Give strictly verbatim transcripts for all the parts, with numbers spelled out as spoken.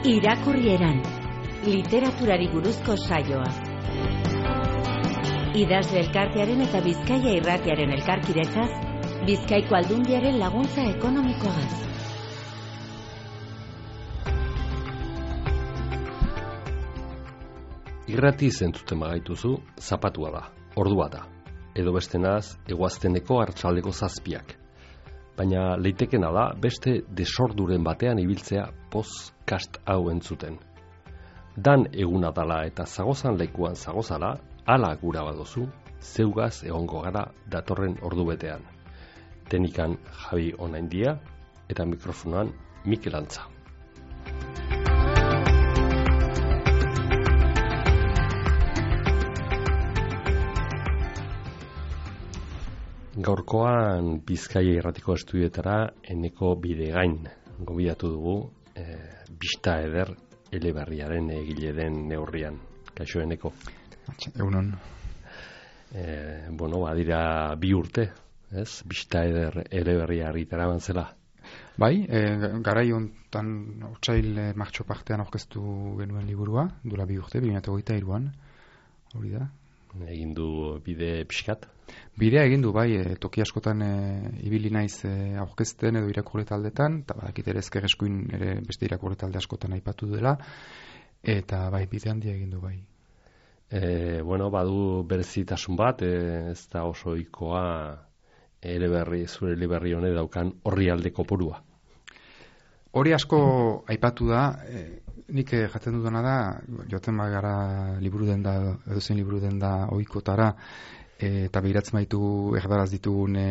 Irakurrieran, literaturari buruzko saioa. Idazle elkartearen eta Bizkaia irratiaren elkarkidetzaz, Bizkaiko Aldundiaren laguntza ekonomikoaz. Irrati zentzuten bagaituzu, zapatua da, ordua da. Edo bestenaz, eguazteneko hartxaldeko zazpiak. Baina leitekena da beste desorduren batean ibiltzea podcast hau entzuten. Dan eguna dala eta zagozan lekuan zagozala, ala gura badozu, zeugaz egongo gara datorren ordu betean. Tenikan Javi Onaindia eta mikrofonoan Mikel Antza. Gaurkoan Bizkaia irratiko estudioetara Eneko Bidegain gobidatu dugu, e, Bista Eder eleberriaren egile den neurrian. Kaixo Eneko. Egunon. E, bueno, badira bi urte, ez? Bista Eder eleberria argitara bantzela. Bai, e, garai hontan otsail e, martxo partean aurkeztu genuen liburua, duela bi urte, bi mila hogeita hiruan, hori da. Egin du bide pixkat? Bidea egin du, bai, e, toki askotan e, ibili naiz e, aurkezten edo irakurle taldetan, eta badakit ere ezker eskuin ere beste irakurle talde askotan aipatu dela, eta bai, bide handia egin du, bai. E, bueno, badu berezitasun bat, e, ez da oso ohikoa eleberri, zure eleberri honek daukan horri aldeko porua. Hori asko aipatu da, e, nik jaten dudana da, joten bagara liburu den da, edozein liburu den da ohikotara, e, eta behiratzen baitu erdaraz ditugun e,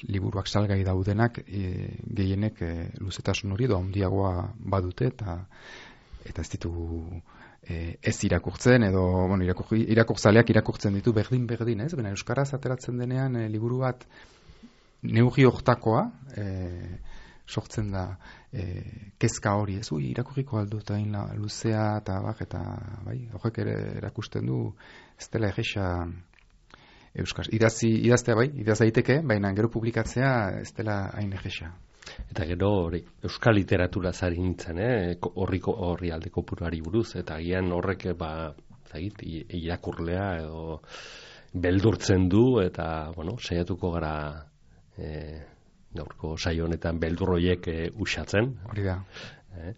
liburuak salgai daudenak, e, gehienek e, luzetasun hori edo handiagoa badute, eta eta ez ditugu e, ez irakurtzen, edo bueno, irakur, irakurtzaleak irakurtzen ditu berdin-berdin, ez? Baina euskaraz ateratzen denean e, liburu bat neurri hortakoa, e, sortzen da e, kezka hori, ez? Ui, irakurriko aldu eta hain luzea eta bak, eta bai, horrek ere erakusten du ez dela egesa euskaz. Idazi, idaztea bai, idaz daiteke, baina gero publikatzea ez dela hain egesa. Eta gero hori, euskal literatura zari nintzen, eh? horriko horri aldeko puruari buruz, eta gian horrek ba, zagit, irakurlea edo beldurtzen du, eta bueno, saiatuko gara eh, gaurko saio honetan beldur horiek e, uxatzen. Hori da. E,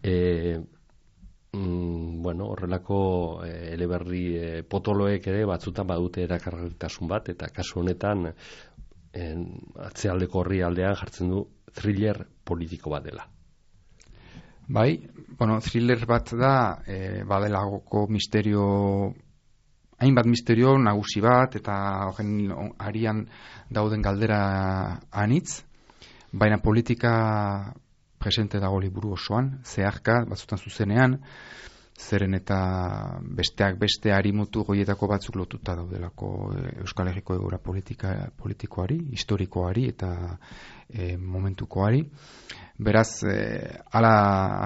e, mm, bueno, horrelako e, eleberri e, potoloek ere batzutan badute erakargarritasun bat, eta kasu honetan en, atzealdeko horri aldean jartzen du thriller politiko bat dela. Bai, bueno, thriller bat da, e, badelagoko misterio, hainbat misterio nagusi bat, eta horren arian dauden galdera anitz, baina politika presente dago liburu osoan, zeharka, batzutan zuzenean, zeren eta besteak beste harimutu goietako batzuk lotuta daudelako Euskal Herriko egoera politika, politikoari, historikoari eta e, momentukoari. Beraz, e, ala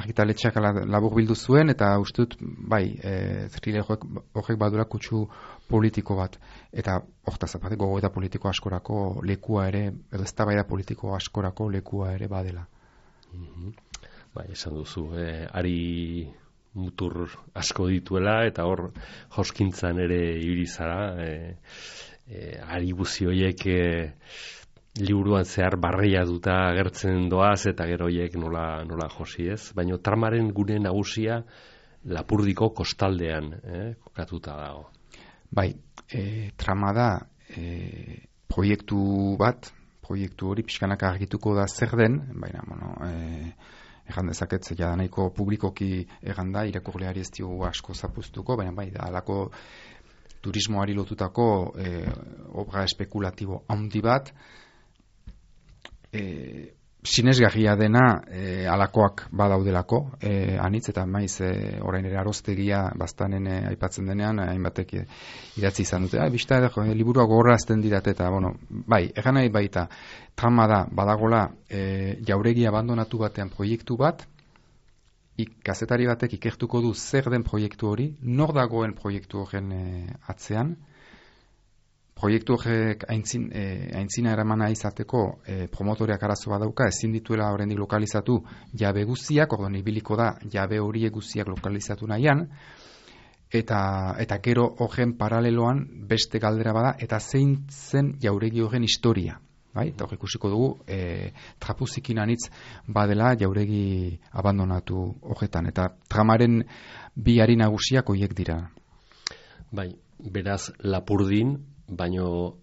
argitaletxeak ala labur bildu zuen, eta uste dut, bai, e, thriller horrek badura kutsu politiko bat, eta hortaz aparte gogoeta politiko askorako lekua ere, edo eztabaida politiko askorako lekua ere badela. Mm-hmm. Bai, esan duzu, eh, ari mutur asko dituela, eta hor joskintzan ere ibili zara, eh, eh, ari buzi horiek eh, liburuan zehar barreia duta agertzen doaz, eta gero horiek nola, nola josi ez. Baina tramaren gune nagusia Lapurdiko kostaldean eh, kokatuta dago. Bai, e, trama da e, proiektu bat, proiektu hori pixkanak argituko da zer den, baina, bueno, e, egan dezaket ja nahiko publikoki egan da, irakurleari ez diogu asko zapuztuko, baina bai, da alako turismoari lotutako e, obra espekulatibo handi bat, e, sinesgarria dena e, alakoak badaudelako, e, anitz eta maiz e, orain ere aroztegia bastanen e, aipatzen denean, hainbatek e, idatzi izan dute, ah, bista edo e, liburua gogorrazten dirat eta, bueno, bai, egan nahi baita, trama da, badagola e, jauregi abandonatu batean proiektu bat, ik, kazetari batek ikertuko du zer den proiektu hori, nor dagoen proiektu horren e, atzean, proiektu horrek aintzin, e, aintzina eramana izateko e, promotoreak arazo badauka, ezin dituela oraindik lokalizatu jabe guztiak, orduan ibiliko da jabe horiek guztiak lokalizatu nahian, eta, eta gero horren paraleloan beste galdera bada, eta zein zen jauregi horren historia. Bai? Eta hor ikusiko dugu, e, trapuzikin anitz badela jauregi abandonatu horretan, eta tramaren bi hari nagusiak horiek dira. Bai, beraz Lapurdin, baino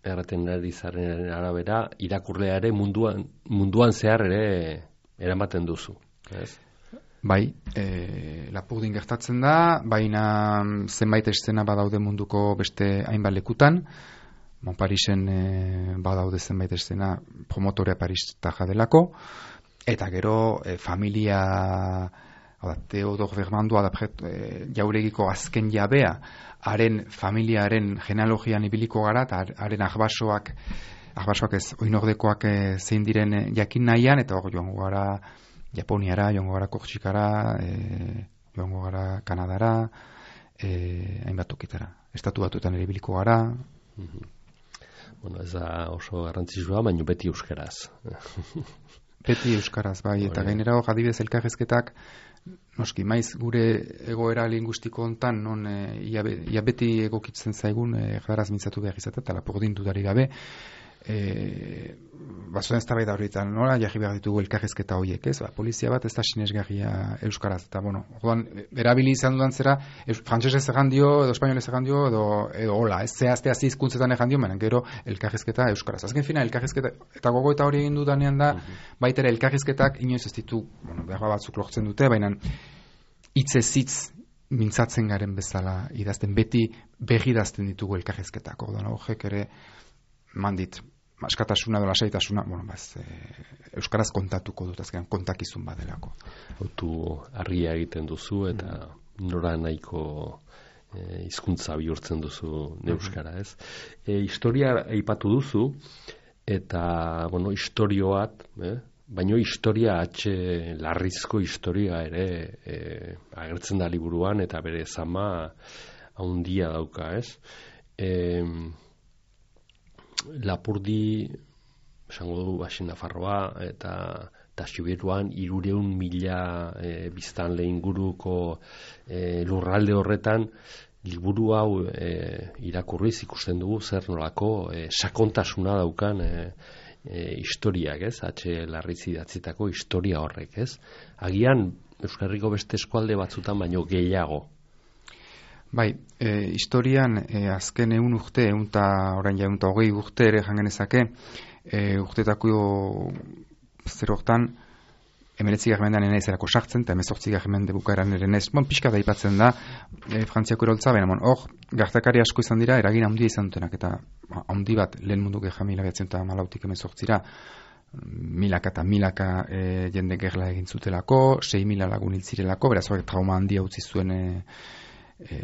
erraten ari zaren arabera, irakurlea ere munduan, munduan zehar ere eramaten duzu. Ez? Bai, e, Lapurdin gertatzen da, baina zenbait eszena badaude munduko beste hainbat lekutan, Bon, Parisen e, badaude zenbait eszena promotorea Paris-taja delako, eta gero e, familia Theodor Vermandua da e, jauregiko azken jabea, haren familiaren genealogian ibiliko gara, eta haren ahbasoak, ahbasoak ez, oinordekoak e, zein diren e, jakin nahian, eta hor joango gara Japoniara, joango gara Kortxikara, e, joango gara Kanadara, e, hainbat tokitara. Estatu batuetan ere ibiliko gara. Mm-hmm. Bueno, ez da oso garrantzitsua, baina beti euskaraz. Beti euskaraz, bai, eta gainera hor adibidez elkarrizketak, noski, maiz gure egoera lingustiko hontan, non e, ia, ia beti egokitzen zaigun e, erdaraz mintzatu behar izatea, eta Lapurdin dudari gabe, e, bazuen ez da bai da horretan, nola jarri behar ditugu elkarrizketa horiek, ez? Ba, polizia bat ez da sinesgarria euskaraz, eta bueno, orduan, erabili izan dudan zera, frantsesez egan dio, edo espainolez egan dio, edo, edo hola, ez zehazte hazi hizkuntzetan egan dio, menen gero elkarrizketa euskaraz. Azken fina, elkarrizketa, eta gogo eta hori egin dudanean da, uh-huh. Baitere elkarrizketak inoiz ez ditu, bueno, behar batzuk lortzen dute, baina hitzez hitz mintzatzen garen bezala idazten, beti begidazten ditugu elkarrizketak, orduan, horrek ere mandit, askatasuna edo lasaitasuna, bueno, baz, e, euskaraz kontatuko dut, azkenan kontakizun badelako. Autu argia egiten duzu, eta mm. nora nahiko e, hizkuntza bihurtzen duzu euskara, ez? E, historia aipatu duzu, eta, bueno, historio bat, eh? Baina historia atxe larrizko historia ere e, agertzen da liburuan, eta bere zama haundia dauka, ez? E, Lapurdi, esango du, Baxi Nafarroa, eta eta Siberuan hirureun mila e, biztanle inguruko e, lurralde horretan, liburu hau e, irakurriz ikusten dugu zer nolako e, sakontasuna daukan e, e, historiak, ez? Atxe Larriz idatzitako historia horrek, ez? Agian Euskal Herriko beste eskualde batzutan baino gehiago. Bai, e, historian e, azken egun urte, egun eta orain ja egun eta hogei urte ere jangenezake, e, urtetako zer hortan, emeretzi garmendean enaiz erako sartzen, eta emezortzi garmende bukaeran ere nez, bon, pixka da ipatzen da, e, Frantziako eroltza, baina, bon, hor, gertakari asko izan dira, eragin handia izan dutenak, eta handi bat, lehen mundu gerra mila behatzen eta malautik emezortzira, milaka eta milaka e, jende gerla egin zutelako, sei mila lagun hiltzirelako, beraz hori trauma handia utzi zuen e, E,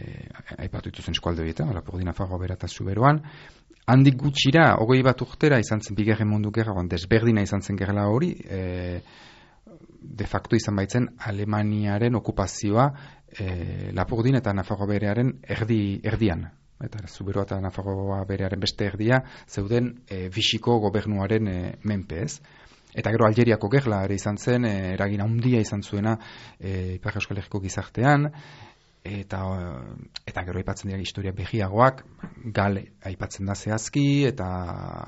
aipatu dituzen eskualde horietan, Lapurdin, Nafarroa, Bera eta Zuberoan. Handik gutxira, hogei bat urtera izan zen bigarren mundu gerra, desberdina izan zen gerla hori, e, de facto izan baitzen Alemaniaren okupazioa e, Lapurdin eta Nafarroa Berearen erdi, erdian. Eta Zuberoa eta Nafarroa Berearen beste erdia zeuden e, Vichyko gobernuaren e, menpe, ez? Eta gero Algeriako gerla ere izan zen, e, eragin handia izan zuena e, Ipar Euskal Herriko gizartean, eta eta gero aipatzen dira historia behiagoak, gal aipatzen da zehazki, eta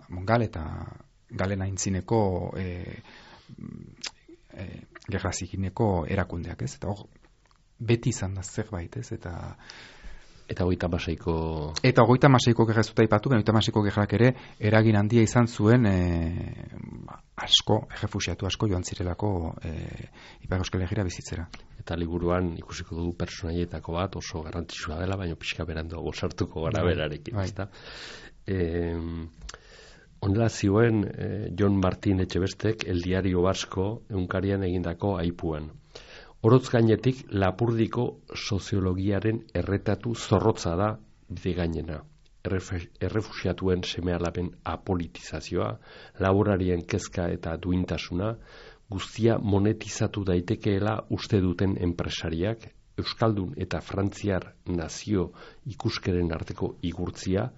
bon, gal eta galen aintzineko e, e, gerra zikineko erakundeak, ez? Eta hor, beti izan da zerbait, ez? Eta Eta hogeita hamaseiko Eta hogeita hamaseiko gerra zuta aipatu, hogeita hamaseiko gerrak ere eragin handia izan zuen e, asko, errefuxiatu asko joan zirelako e, Ipar Euskal Herrira bizitzera. Eta liburuan ikusiko dugu pertsonaietako bat oso garrantzitsua dela, baina pixka berandu gozartuko gara berarekin, bai. Ezta? Eh, Honela zioen eh, Jon Martin Etxebestek El Diario Vasco egunkarian egindako aipuan. Orotz gainetik Lapurdiko soziologiaren erretatu zorrotza da bide gainena. Errefuxiatuen seme-alaben apolitizazioa, laborarien kezka eta duintasuna, guztia monetizatu daitekeela uste duten enpresariak, Euskaldun eta Frantziar nazio ikuskeren arteko igurtzia,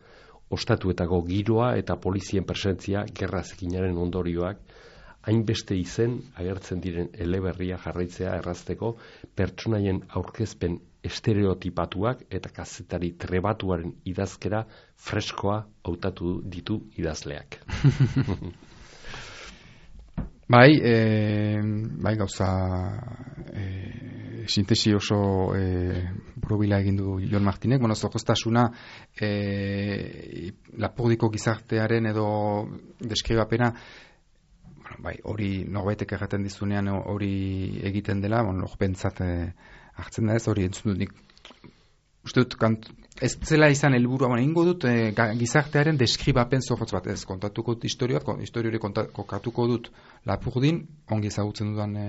ostatuetako giroa eta polizien presentzia gerra zikinaren ondorioak, hainbeste izen agertzen diren eleberria jarraitzea errazteko pertsonaien aurkezpen estereotipatuak eta kazetari trebatuaren idazkera freskoa hautatu ditu idazleak. Bai, e, bai gauza e, sintesi oso e, probila egin du Jon Martinek, bueno, zorroztasuna e, lapurdiko gizartearen edo deskribapena, bueno, bai, hori norbaitek erraten dizunean hori egiten dela, bueno, norpentzat e, hartzen da ez, hori entzun dut nik, uste dut, kant, ez zela izan helburua, bueno, ingo dut e, gizartearen deskribapen zorrotz bat, ez, kontatuko dut historioa, historiori kontatuko dut Lapurdin, ongi ezagutzen dudan e,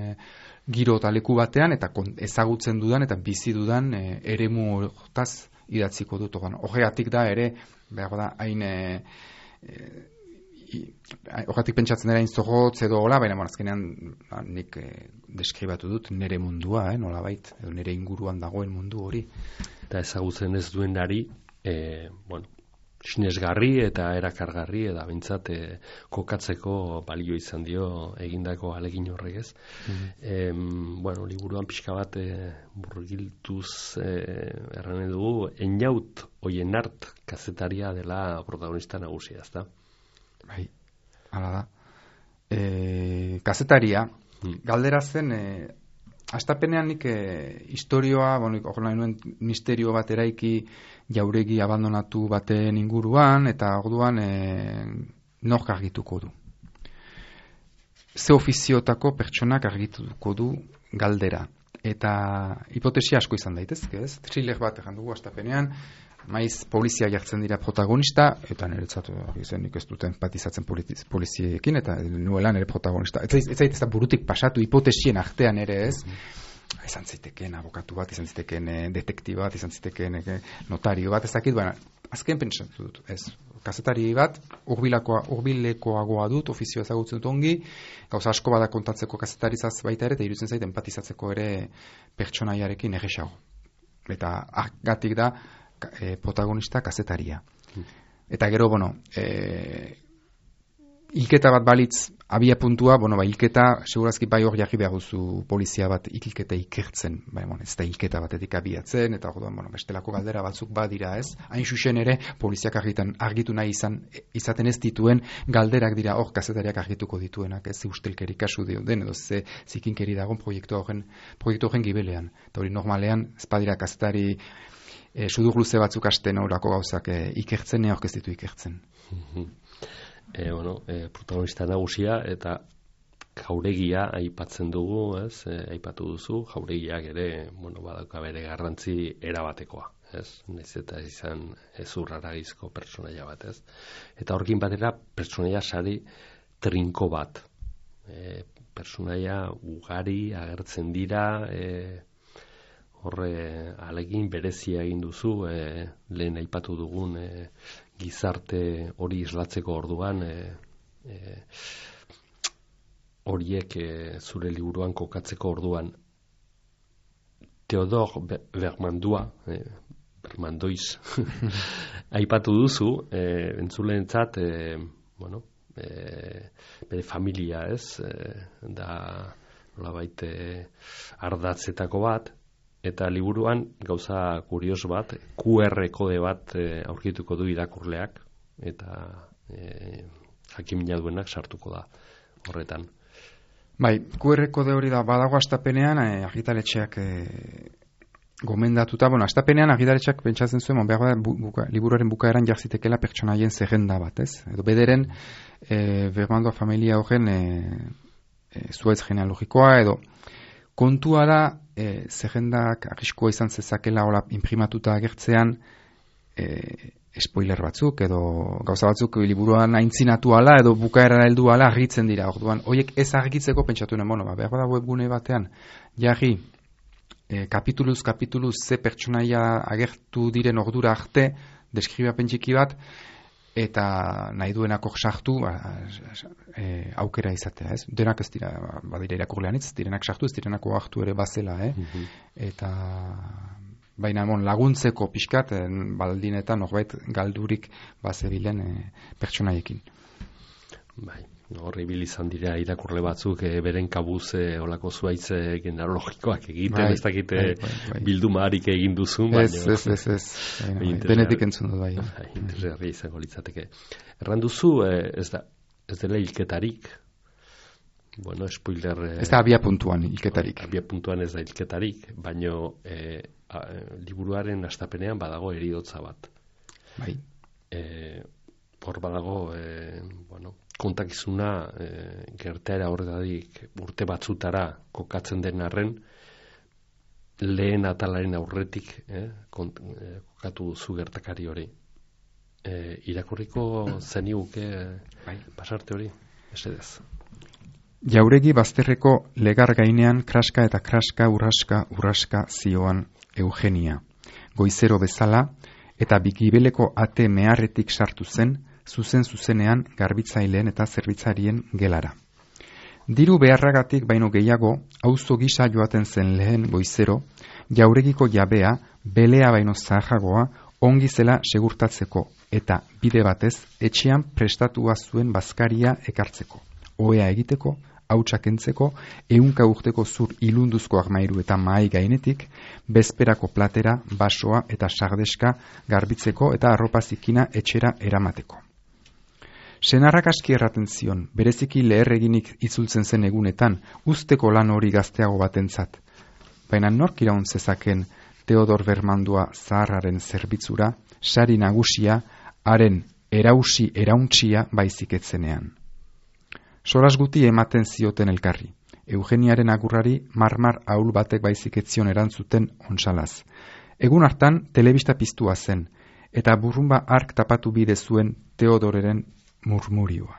giro eta leku batean, eta ezagutzen dudan eta bizi dudan e, eremu hortaz idatziko dut. Horregatik da ere, behar da, hain e, horregatik pentsatzen dira hain zorrotz edo hola, baina azkenean nik e, deskribatu dut nire mundua, eh, nola bait, edo nire inguruan dagoen mundu hori. Eta ezagutzen ez duenari, e, bueno, sinesgarri eta erakargarri eta bintzat e, kokatzeko balio izan dio egindako alegin horrek ez. Mm-hmm. E, bueno, liburuan pixka bat e, burgiltuz e, erran dugu, Einaut Oienart kazetaria dela protagonista nagusia, ezta? Bai, hala da. E, kazetaria, mm. galdera zen, e, astapenean nik e, historioa, bueno, horrela nuen misterio bat eraiki jauregi abandonatu baten inguruan, eta orduan e, nork argituko du. Ze ofiziotako pertsonak argituko du galdera. Eta hipotesia asko izan daitezke, ez? Thriller bat egan dugu astapenean, maiz polizia jartzen dira protagonista, eta niretzat izen nik ez dut empatizatzen poliziekin, eta nuela nire protagonista. Ez zait ez da burutik pasatu hipotesien artean ere ez, izan zitekeen abokatu bat, izan zitekeen detektiba bat, izan zitekeen notario bat, ez dakit, baina azken pentsatu dut, ez. Kazetari bat, urbilekoagoa dut, ofizio ezagutzen dut ongi, gauza asko bada kontatzeko kazetarizaz baita ere, eta iruditzen zait empatizatzeko ere pertsonaiarekin erresago. Eta gatik da, E, protagonista kazetaria. Hmm. Eta gero, bueno, e, hilketa bat balitz abia puntua, bueno, ba, hilketa, segurazki bai hor jarri behar duzu polizia bat hilketa ikertzen, bai, bueno, ez da hilketa batetik abiatzen, eta orduan, bueno, bestelako galdera batzuk badira, ez? Hain xuxen ere, poliziak argitan, argitu nahi izan, izaten ez dituen galderak dira hor kazetariak argituko dituenak, ez? Ustelkeri kasu dio den, edo ze zikinkeri dagoen proiektu horren, proiektu horren gibelean. Eta hori normalean, ez badira kazetari E, sudur luze batzuk asten horako gauzak e, ikertzen, neok ez ditu ikertzen. e, bueno, e, protagonista nagusia eta jauregia aipatzen dugu, ez? E, aipatu duzu, jauregiak ere, bueno, badauka bere garrantzi erabatekoa, ez? Naiz eta izan ezurraragizko pertsonaia bat, ez? Eta horrekin batera pertsonaia sari trinko bat. E, pertsonaia ugari agertzen dira, e, horre alegin berezia egin duzu, e, lehen aipatu dugun e, gizarte hori islatzeko orduan, e, e, horiek e, zure liburuan kokatzeko orduan. Theodor Bermandua, e, Bermandoiz, aipatu duzu, e, entzuleentzat, e, bueno, e, bere familia, ez, e, da nolabait e, ardatzetako bat, eta liburuan gauza kurios bat, Q R kode bat e, aurkituko du irakurleak, eta e, jakimina duenak sartuko da horretan. Bai, Q R kode hori da badago astapenean, e, argitaletxeak e, gomendatuta, bueno, astapenean argitaletxeak pentsatzen zuen, behar da, bu, buka, liburuaren bukaeran jarzitekela pertsonaien zerrenda bat, ez? Edo bederen, e, Bermandoa familia horren e, e, zuaitz genealogikoa, edo kontua da, e, zerrendak arriskoa izan zezakela hola imprimatuta agertzean e, spoiler batzuk edo gauza batzuk liburuan aintzinatu ala edo bukaera heldu ala argitzen dira. Orduan, horiek ez argitzeko pentsatu nuen, bueno, ba, behar da webgune batean jarri e, kapituluz kapituluz ze pertsonaia agertu diren ordura arte deskribapen txiki bat, eta nahi duenako sartu ba, e, aukera izatea, ez? Denak ez dira, badira irakurlean ez, direnak sartu, ez direnako hartu ere bazela, eh? Mm-hmm. Eta baina bon, laguntzeko pixkat, baldin eta norbait galdurik bazebilen e, pertsonaiekin. Bai. Horri bil izan dira irakurle batzuk e, beren kabuz e, olako zuaitz e, genealogikoak egiten, bai, ez dakite bai, bai, bai. Bilduma harik egin duzun, ez, baina... Ez, ez, ez, ez, bai, denetik entzun dut, bai. bai Interesgarria izango litzateke. Erran duzu, e, ez da, ez dela hilketarik, bueno, spoiler... E, ez da abia puntuan hilketarik. Abia puntuan ez da hilketarik, baina e, a, liburuaren astapenean badago heriotza bat. Bai. E, hor badago, e, bueno, kontakizuna e, gertaera horretatik urte batzutara kokatzen den arren lehen atalaren aurretik eh, kont, eh, kokatu duzu gertakari hori. E, irakurriko zeniuke bai. Pasarte hori, esedez. Jauregi bazterreko legar gainean kraska eta kraska urraska urraska zioan Eugenia. Goizero bezala eta bigibeleko ate meharretik sartu zen, zuzen zuzenean garbitzaileen eta zerbitzarien gelara. Diru beharragatik baino gehiago, auzo gisa joaten zen lehen goizero, jauregiko jabea, belea baino zaharragoa, ongi zela segurtatzeko, eta bide batez, etxean prestatua zuen bazkaria ekartzeko. Ohea egiteko, hautsak entzeko, ehunka urteko zur ilunduzko armairu eta mahai gainetik, bezperako platera, basoa eta sardeska garbitzeko eta arropa zikina etxera eramateko. Senarrak aski erraten zion, bereziki leherreginik itzultzen zen egunetan, usteko lan hori gazteago batentzat. Baina nork iraun zezaken Teodor Bermandua zaharraren zerbitzura, sari nagusia, haren erausi erauntsia baizik etzenean. Soras guti ematen zioten elkarri. Eugeniaren agurrari marmar ahul batek baizik etzion erantzuten onsalaz. Egun hartan telebista piztua zen, eta burrumba ark tapatu bide zuen Teodoreren murmurioa.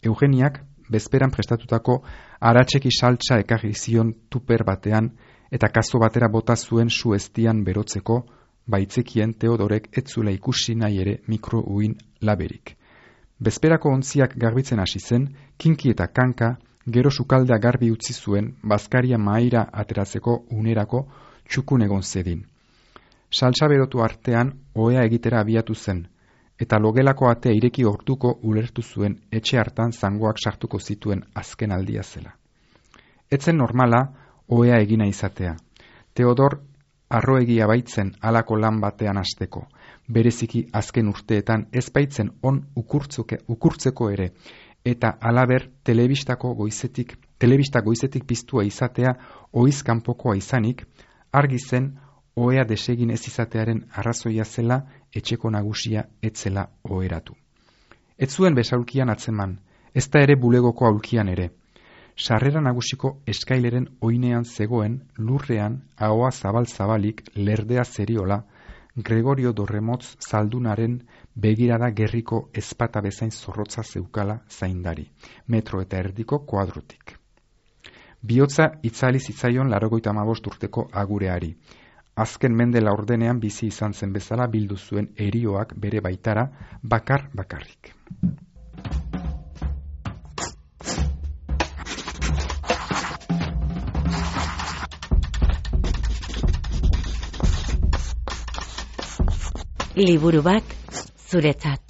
Eugeniak bezperan prestatutako aratseki saltsa ekarri zion tuper batean eta kazo batera bota zuen su eztian berotzeko, baitzekien Teodorek etzula ikusi nahi ere mikro uin laberik. Bezperako ontziak garbitzen hasi zen, kinki eta kanka, gero sukaldea garbi utzi zuen, bazkaria mahaira ateratzeko unerako txukun egon zedin. Saltsa berotu artean, ohea egitera abiatu zen, eta logelako atea ireki hortuko ulertu zuen etxe hartan zangoak sartuko zituen azken aldia zela. Etzen normala, ohea egina izatea. Teodor arroegia baitzen halako lan batean hasteko, bereziki azken urteetan ez baitzen on ukurtzeko ere, eta halaber telebistako goizetik, telebista goizetik piztua izatea ohiz kanpokoa izanik, argi zen ohea desegin ez izatearen arrazoia zela etxeko nagusia etzela oheratu. Ez zuen besaulkian atzeman, ez da ere bulegoko aulkian ere. Sarrera nagusiko eskaileren oinean zegoen lurrean ahoa zabal-zabalik lerdea zeriola Gregorio Dorremotz zaldunaren begirada gerriko ezpata bezain zorrotza zeukala zaindari, metro eta erdiko kuadrotik. Bihotza itzali zitzaion laurogeita hamabost urteko agureari. Azken mende laurdenean bizi izan zen bezala bildu zuen erioak bere baitara bakar bakarrik. Liburu bat zuretzat.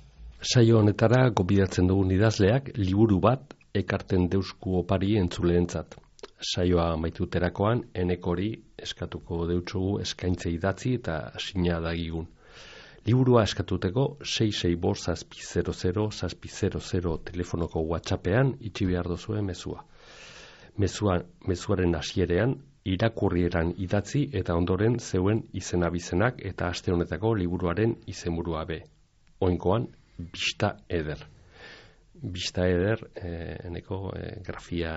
Saio honetara gobidatzen dugun idazleak liburu bat ekarten deusku opari entzuleentzat. Saioa maituterakoan enekori eskatuko deutsugu eskaintze idatzi eta sina dagigun. Liburua eskatuteko sei sei bost zazpi zero zero zazpi zero zero telefonoko WhatsAppean itxi behar dozue mezua. Mezua, mezuaren hasierean irakurrieran idatzi eta ondoren zeuen izen abizenak eta aste honetako liburuaren izenburua be. Oinkoan, Bista Eder. Bista Eder, eh, eneko eh, grafia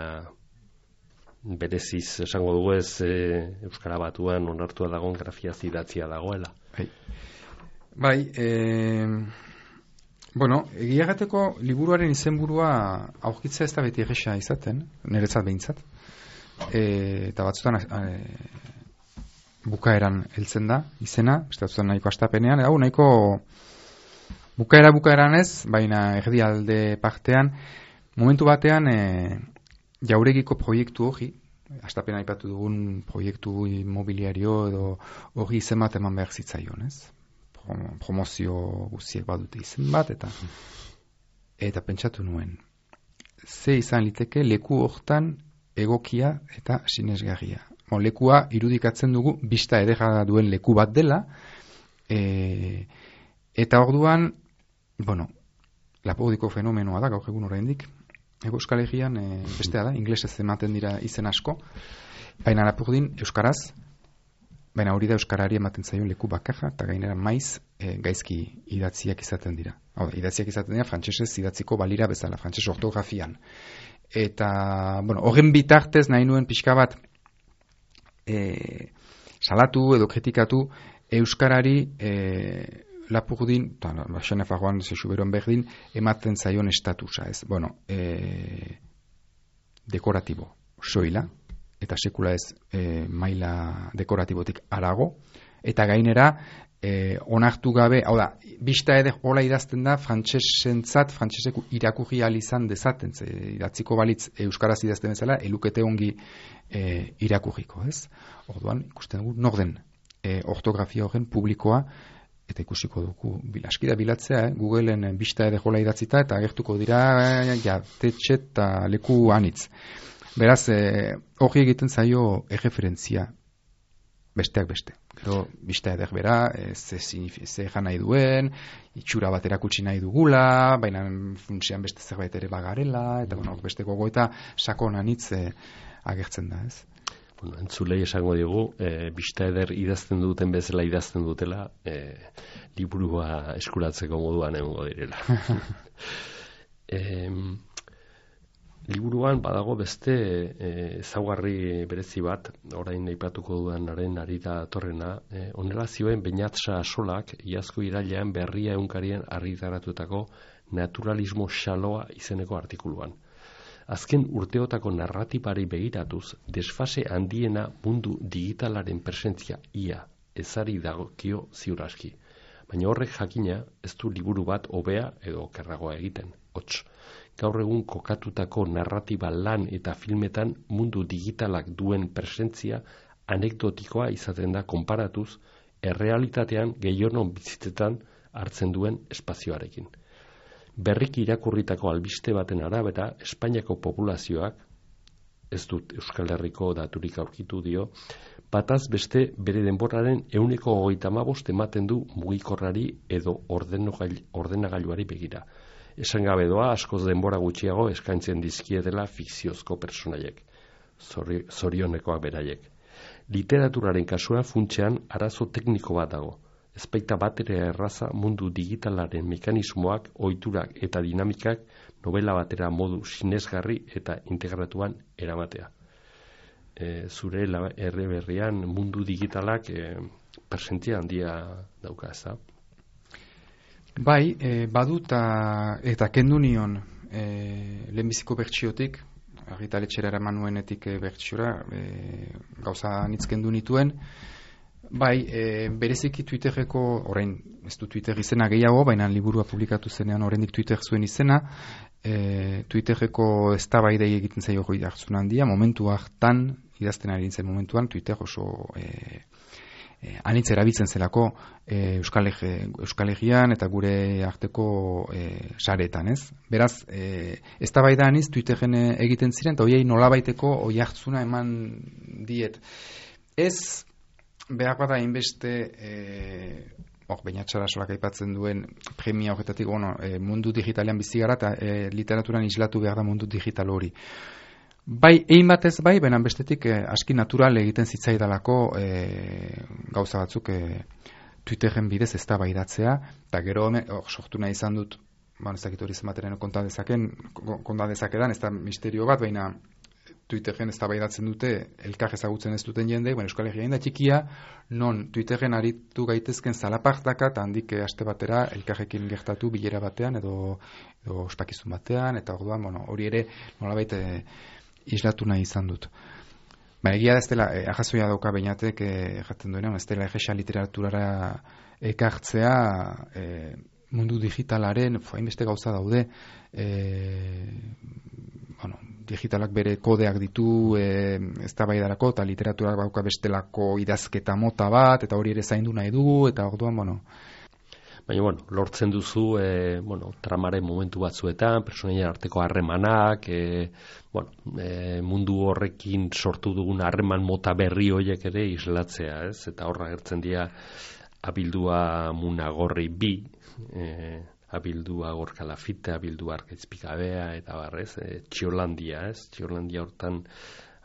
bereziz esango dugu ez eh, Euskara Batuan onartua dagoen grafia zidatzia dagoela. Bai, bai eh, bueno, egiagateko liburuaren izenburua aurkitza ez da beti egesa izaten, niretzat behintzat. E, eta batzutan e, bukaeran heltzen da izena, beste batzutan nahiko astapenean, hau nahiko bukaera bukaeran ez, baina erdialde partean momentu batean e, jauregiko proiektu hori astapen aipatu dugun proiektu immobiliario edo hori izen bat eman behar zitzaion, ez? Promozio guztiek badute izen bat, eta eta pentsatu nuen, ze izan liteke leku hortan egokia eta sinesgarria. Bon, lekua irudikatzen dugu, bista edera duen leku bat dela, e, eta orduan, bueno, Lapurdiko fenomenoa da, gaur egun oraindik. Ego Euskal Herrian e, bestea da, inglesez ematen dira izen asko, baina Lapurdin euskaraz, baina hori da euskarari ematen zaio leku bakarra, eta gainera maiz e, gaizki idatziak izaten dira. Hau da, idatziak izaten dira frantsesez idatziko balira bezala, frantses ortografian. Eta, bueno, horren bitartez nahi nuen pixka bat e, salatu edo kritikatu euskarari e, Lapurdin, eta Xenefagoan zexuberoan berdin, ematen zaion estatusa, ez? Bueno, e, dekoratibo, soila, eta sekula ez e, maila dekoratibotik arago, eta gainera, e, onartu gabe, hau da, bista eder hola idazten da, frantsesentzat, frantsesek irakurri ahal izan dezaten, ze, idatziko balitz euskaraz idazten bezala, elukete ongi e, irakurriko, ez? Orduan, ikusten dugu, norden, e, ortografia horren publikoa, eta ikusiko dugu, askida bilatzea, eh? Googleen bista ere jola idatzita, eta agertuko dira, jatetxe eta leku anitz. Beraz, eh, hori egiten zaio erreferentzia, besteak beste. Gero, bista eder bera, eh, ze, ze jan nahi duen, itxura bat erakutsi nahi dugula, baina funtsean beste zerbait ere bagarela, eta bueno, beste gogoeta sakon anitz eh, agertzen da, ez? Bueno, entzulei esango digu, e, bista eder idazten duten bezala idazten dutela, e, liburua eskuratzeko moduan egongo direla. e, liburuan badago beste ezaugarri e, berezi bat, orain aipatuko dudanaren ari da torrena, e, honela zioen Beñatsa Solak, iazko irailean Berria egunkarien argitaratutako naturalismo xaloa izeneko artikuluan. Azken urteotako narratibari begiratuz, desfase handiena mundu digitalaren presentzia ia ezari dagokio ziur aski. Baina horrek jakina ez du liburu bat hobea edo okerragoa egiten. Hots, gaur egun kokatutako narratiba lan eta filmetan mundu digitalak duen presentzia anekdotikoa izaten da konparatuz errealitatean gehionon bizitzetan hartzen duen espazioarekin. Berriki irakurritako albiste baten arabera, Espainiako populazioak, ez dut Euskal Herriko daturik aurkitu dio, bataz beste bere denboraren ehuneko hogeita hamabost ematen du mugikorrari edo ordenagailuari begira. Esan gabe doa, askoz denbora gutxiago eskaintzen dizkietela fikziozko personaiek, zorionekoak beraiek. Literaturaren kasua funtsean arazo tekniko bat dago. Ezpeita batera erraza mundu digitalaren mekanismoak, ohiturak eta dinamikak novela batera modu sinesgarri eta integratuan eramatea. E, zure erre berrian mundu digitalak e, presentzia handia dauka, ez da? Bai, e, baduta eta kendu nion e, lehenbiziko bertsiotik, argitaletxera eraman nuenetik e, bertsiora, e, gauza nitz kendu nituen. Bai, e, bereziki Twitterreko, orain ez du Twitter izena gehiago, baina liburua publikatu zenean oraindik Twitter zuen izena, e, Twitterreko eztabaidei egiten zaio hori hartzun handia, momentu hartan, idazten ari nintzen momentuan, Twitter oso e, e, anitz erabiltzen zelako e, Euskal, Euskal Herrian eta gure arteko e, saretan, ez? Beraz, e, eztabaida anitz Twitterren egiten ziren, eta horiei nolabaiteko hori hartzuna eman diet. Ez behar bada inbeste eh, hor, Beñatsa Solak aipatzen duen premia horretatik, bueno, e, mundu digitalean bizi gara eta e, literaturan islatu behar da mundu digital hori. Bai, egin batez bai, benan bestetik e, aski natural egiten zitzaidalako e, gauza batzuk e, Twitterren bidez eztabaidatzea, eta gero hor sortu nahi izan dut, ba, ez dakit hori zenbateren konta dezaken, konta dezakedan, ez da misterio bat, baina Twitterren eztabaidatzen dute elkar ezagutzen ez duten jende, bueno, Euskal Herria da txikia, non Twitterren aritu gaitezken zalapartaka eta handik aste batera elkarrekin gertatu bilera batean edo, edo ospakizun batean, eta orduan, bueno, hori ere nolabait e, islatu nahi izan dut. Ba, egia da ez dela, e, ahazoia dauka Beñatek erraten e, duenean, ez dela egesa literaturara ekartzea e, mundu digitalaren, hainbeste gauza daude, e, bueno, digitalak bere kodeak ditu, e, eztabaidarako eta literaturak bauka bestelako idazketa mota bat, eta hori ere zaindu nahi dugu, eta orduan, bueno, baina, bueno, lortzen duzu, e, bueno, tramaren momentu batzuetan, personaien arteko harremanak, e, bueno, e, mundu horrekin sortu dugun harreman mota berri horiek ere islatzea, ez? Eta horra gertzen dira abildua munagorri bi, e, abildua gorkalafite, abildua arkaizpikabea, eta barrez, e, Txiolandia, ez? Txiolandia hortan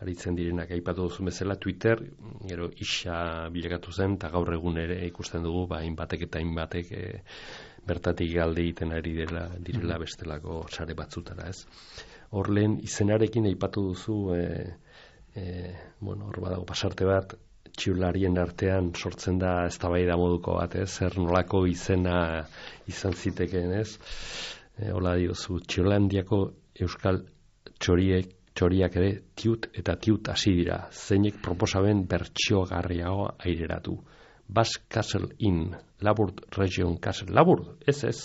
aritzen direnak aipatu duzu bezala Twitter, gero isa bilakatu zen, eta gaur egun ere ikusten dugu, ba, hainbatek eta hainbatek e, bertatik galde egiten ari dela, direla bestelako sare batzutara, ez? Hor lehen izenarekin aipatu duzu, e, e, bueno, hor badago pasarte bat, txiularien artean sortzen da eztabaida moduko bat, ez? Zer nolako izena izan zitekeen, ez? E, hola diozu, Txiolandiako euskal txoriek txoriak ere tiut eta tiut hasi dira, zeinek proposamen bertsiogarriago aireratu. Basque Castle Inn, Laburt Region Castle, Laburt, ez ez,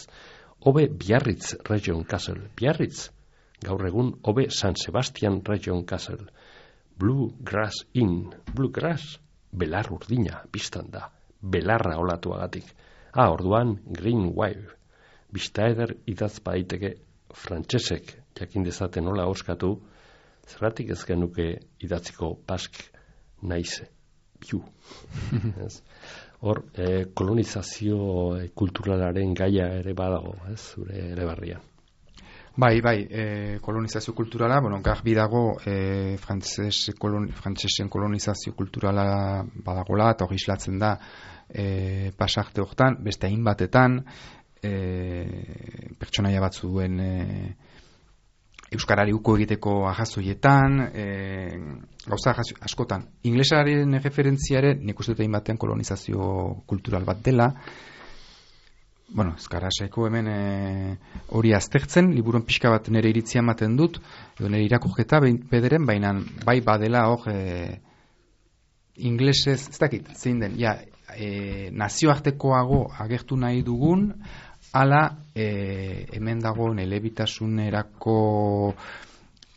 Obe Biarritz Region Castle, Biarritz, gaur egun Obe San Sebastian Region Castle, Blue Grass Inn, Blue Grass, belar urdina, biztan da, belarra olatuagatik. Ah, orduan, Green Wave, bizta eder idaz baiteke frantsesek jakin dezaten nola oskatu, zergatik ez genuke idatziko Basque naiz biu. Hor, eh, kolonizazio eh, kulturalaren gaia ere badago, ez, zure ere barrian. Bai, bai, eh, kolonizazio kulturala, bueno, garbi dago eh, frantzes, kolon, frantzesen kolonizazio kulturala badagola, eta hori islatzen da eh, pasarte hortan, beste hainbatetan, eh, pertsonaia batzu duen eh, euskarari uko egiteko ahazoietan, e, gauza askotan. Inglesaren referentziare, nik uste dut egin batean kolonizazio kultural bat dela. Bueno, ezkarasaiko hemen hori e, aztertzen, liburuan pixka bat nire iritzia ematen dut, edo nire irakurketa bederen, baina bai badela hor e, inglesez, ez dakit, zein den, ja, e, nazioartekoago agertu nahi dugun, ala e, hemen dagoen elebitasunerako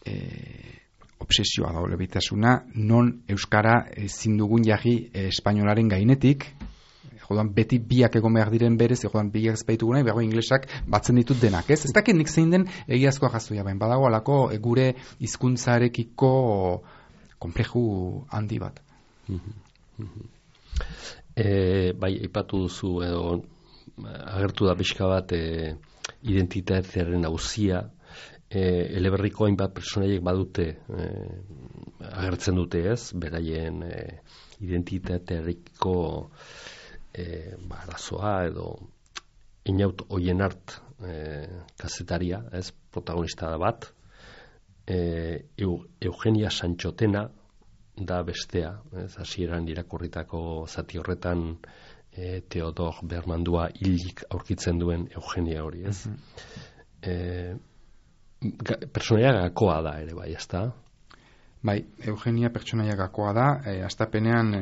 e, obsesioa da, elebitasuna, non euskara ezin dugun jarri e, espainolaren gainetik, jodan beti biak egon behar diren berez, jodan biak ezpaitu guna, behago inglesak batzen ditut denak, ez? Ez dakit nik zein den egiazkoa jazuia, baina badago alako e, gure hizkuntzarekiko konpleju handi bat. E, bai, aipatu duzu edo agertu da pixka bat e, identitatearen auzia, e, eleberriko hainbat personaiek badute e, agertzen dute, ez, beraien e, identitateareko e, ba, arazoa edo Inaut Oienart e, kazetaria, ez, protagonista da bat, e, Eugenia Santxotena da bestea, ez, hasieran irakurritako zati horretan E, Teodor Bermandua hilik aurkitzen duen Eugenia hori, ez? Mm-hmm. E, ga, personaia gakoa da ere, bai, ez da? Bai, Eugenia pertsonaia gakoa da, e, astapenean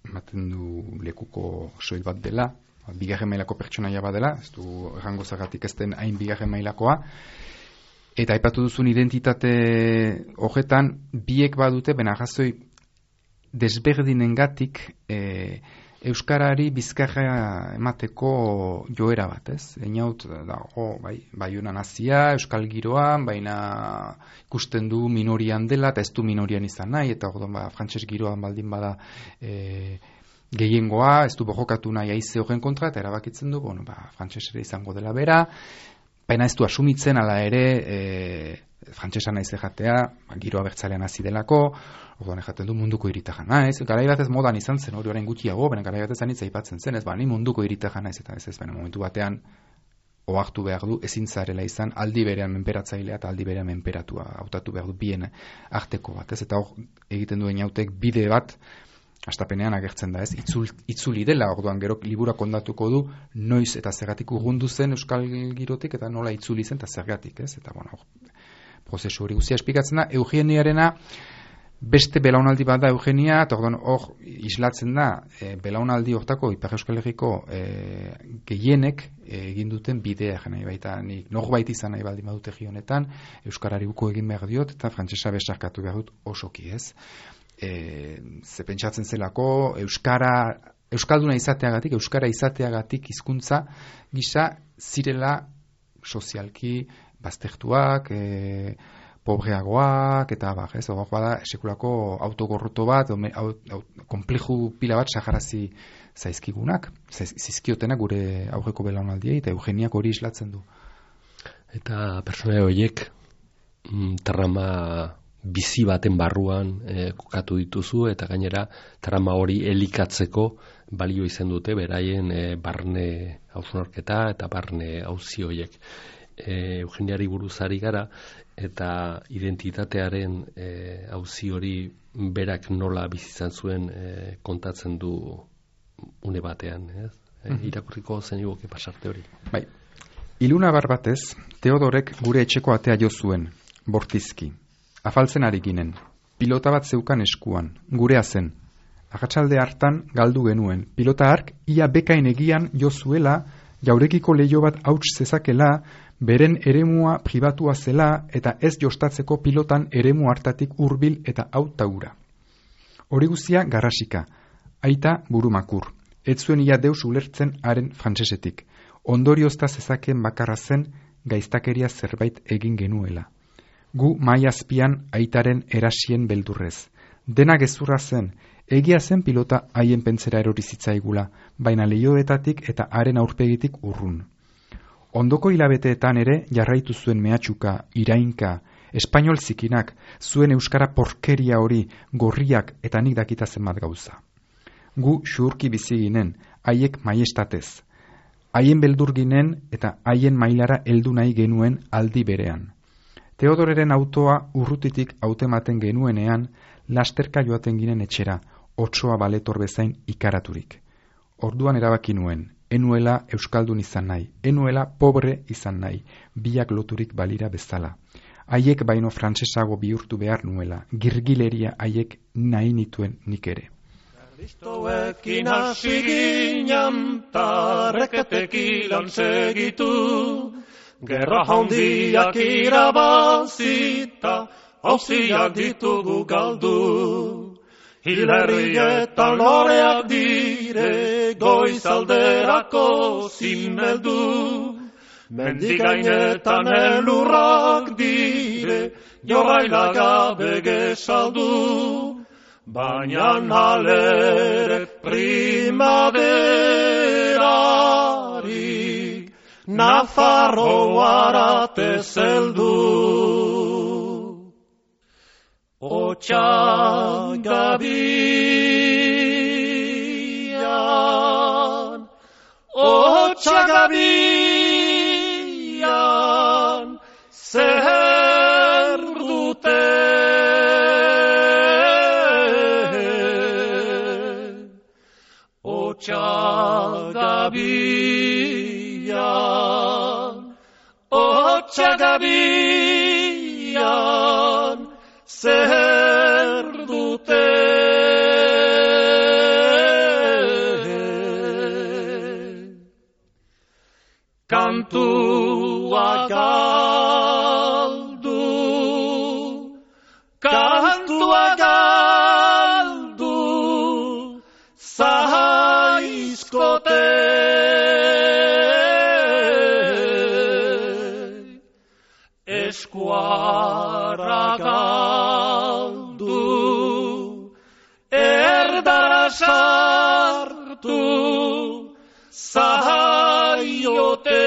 ematen du lekuko soil bat dela, bigarren mailako pertsonaia bat dela, ez du errango zagatik ez den hain bigarren mailakoa, eta aipatu duzun identitate horretan, biek badute, bena gazoi desberdinengatik, e, euskarari bizkarra emateko joera bat, ez? Einaut dago, bai, baiuna nazia, euskal giroan, baina ikusten du minorian dela, eta ez du minorian izan nahi, eta orduan ba, frantses giroan baldin bada e, gehiengoa, ez du borrokatu nahi aize horren kontra, eta erabakitzen du, bueno, ba, frantsesera izango dela bera, baina ez du asumitzen, ala ere, e, frantsesa naiz jatea, ba, giroa bertzalean hasi delako, orduan ejaten du munduko iritaja naiz, garai batez modan izan zen, hori orain gutxiago, baina garai batez anitza aipatzen zen, ez ba, ni munduko iritaja naiz, eta ez ez, baina momentu batean ohartu behar du, ezin zarela izan, aldi berean menperatzailea eta aldi berean menperatua hautatu behar du bien arteko bat, ez, eta hor egiten duen jautek bide bat, astapenean agertzen da, ez, itzul, itzuli dela, orduan gero libura kondatuko du, noiz eta zergatik urrundu zen euskal girotik, eta nola itzuli zen, eta zergatik, ez, eta bueno, prozesu hori guztia esplikatzen da, Eugeniarena, Beste belaunaldi bat da Eugenia, eta hor islatzen da, e, belaunaldi hortako Ipar Euskal Herriko e, gehienek egin duten bidea, nahi baita, nik norbait izan nahi baldin badut egi honetan, Euskarari uko egin behar diot, eta frantsesa besarkatu behar dut osoki ez. E, ze pentsatzen zelako, Euskara, Euskalduna izateagatik, Euskara izateagatik hizkuntza gisa zirela sozialki baztertuak, e, pobreagoak, eta bar, ez, hor bada sekulako autogorroto bat, ome, au, au, kompleju pila bat sajarazi zaizkigunak, zizkiotenak gure aurreko belaunaldiei, eta Eugeniak hori islatzen du. Eta pertsona horiek mm, trama bizi baten barruan eh, kokatu dituzu, eta gainera trama hori elikatzeko balio izan dute beraien eh, barne hausnarketa eta barne auzi horiek. E, Eugeniari buruzari gara, eta identitatearen e, auzi hori berak nola bizizan zuen e, kontatzen du une batean, ez? E, mm-hmm. Irakurriko zen iguke pasarte hori. Bai. Iluna bar batez, Teodorek gure etxeko atea jo zuen, bortizki. Afaltzen ari ginen, pilota bat zeukan eskuan, gurea zen. Agatsalde hartan galdu genuen, pilota hark ia bekain egian jo zuela, jaurekiko leio bat hauts zezakela, beren eremua pribatua zela eta ez jostatzeko pilotan eremu hartatik hurbil eta hautaura. Hori guztia garrasika, aita burumakur, ez zuen ia deus ulertzen haren frantsesetik, ondoriozta zezakeen bakarra zen gaiztakeria zerbait egin genuela. Gu mai azpian aitaren erasien beldurrez. Dena gezurra zen, egia zen pilota haien pentsera erori zitzaigula, baina leioetatik eta haren aurpegitik urrun. Ondoko hilabeteetan ere jarraitu zuen mehatxuka, irainka, espainol zikinak, zuen euskara porkeria hori, gorriak eta nik dakita zenbat gauza. Gu xurki bizi ginen, haiek maiestatez. Haien beldur ginen eta haien mailara heldu nahi genuen aldi berean. Teodoreren autoa urrutitik hautematen genuenean, lasterka joaten ginen etxera, otsoa baletor bezain ikaraturik. Orduan erabaki nuen, enuela euskaldun izan nahi, enuela pobre izan nahi, biak loturik balira bezala. Haiek baino frantsesago bihurtu behar nuela, girgileria haiek nahi nituen nik ere. Kristoekin hasi ginen, tarreketekilan segitu, gerra handiak irabazita, hauziak ditugu galdu. Hilerrietan loreak dire, goizalderako zinmeldu. Mendigainetan elurrak dire, jorraila gabe gesaldu. Baina halere primaverarik, Nafarroarate zeldu. Otsagabian, Otsagabian, zer dute. Otsagabian, Otsagabian, zer dute. Kantua galdu, kantua galdu, zaizkote. Eskuara galdu, erdara sartu, zaiote.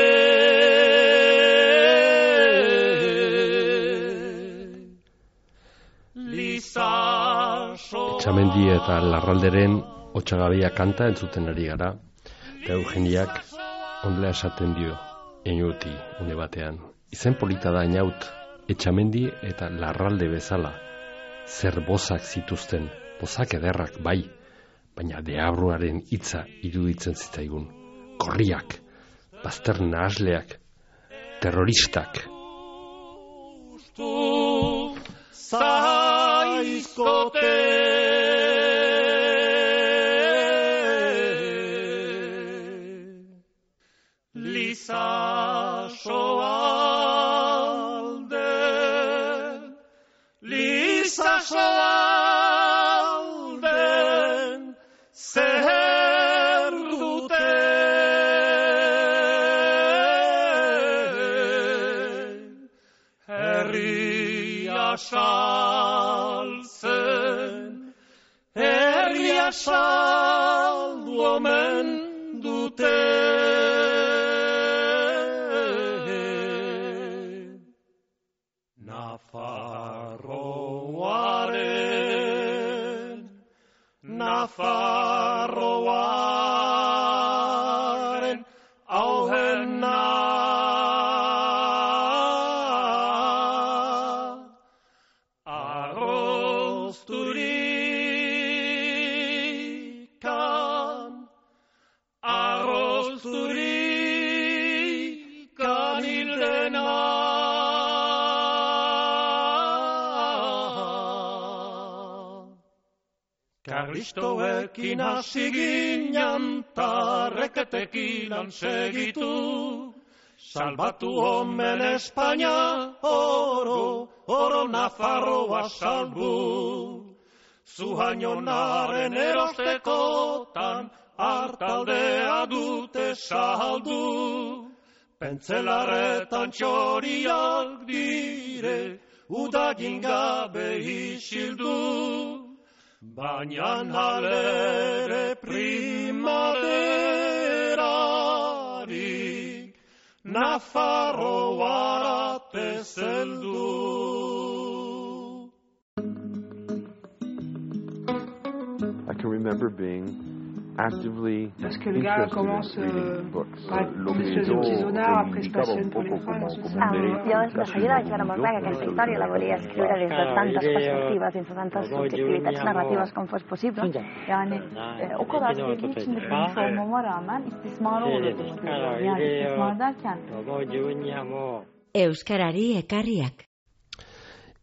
Etxamendi eta Larralderen Otsagabia kanta entzuten ari gara, eta Eugeniak ondela esaten dio, enuti une batean. Izen polita da inaut, Etxamendi eta Larralde bezala, zer bozak zituzten, bozak ederrak bai, baina deabruaren hitza iruditzen zitzaigun. Korriak, bazter nahasleak, terroristak. Zai aizkote. Lizasoalden, lizasoalden, zer dute. Herria saltzen, herria saldu omen dute. Nafarroaren, Nafarroaren, auhena. Arrozturikan, arrozturikan hildena. Karlistoekin hasi ginen tarreketekilan segitu, salbatu omen Espainia, oro, oro Nafarroa salbu. Zuhainonaren erostekotan hartaldea dute saldu. Pentzelaretan txoriak dire, udagin gabe isildu. Baina halere primaverarik Nafarroara tezeldu. I can remember being actively Parce que le gars commence euh, par espèce de petit zonard, après se passionne pour les femmes. Llavors, la seguida vaig veure molt bé que aquesta història la volia escriure des de tantes perspectives, des de tantes subjektivitats narratives com fos possible. Yani e, o kadar sevdiği içinde bilmiş olmama rağmen istismar olurdu. Yani istismar derken Euskarari ekarriak.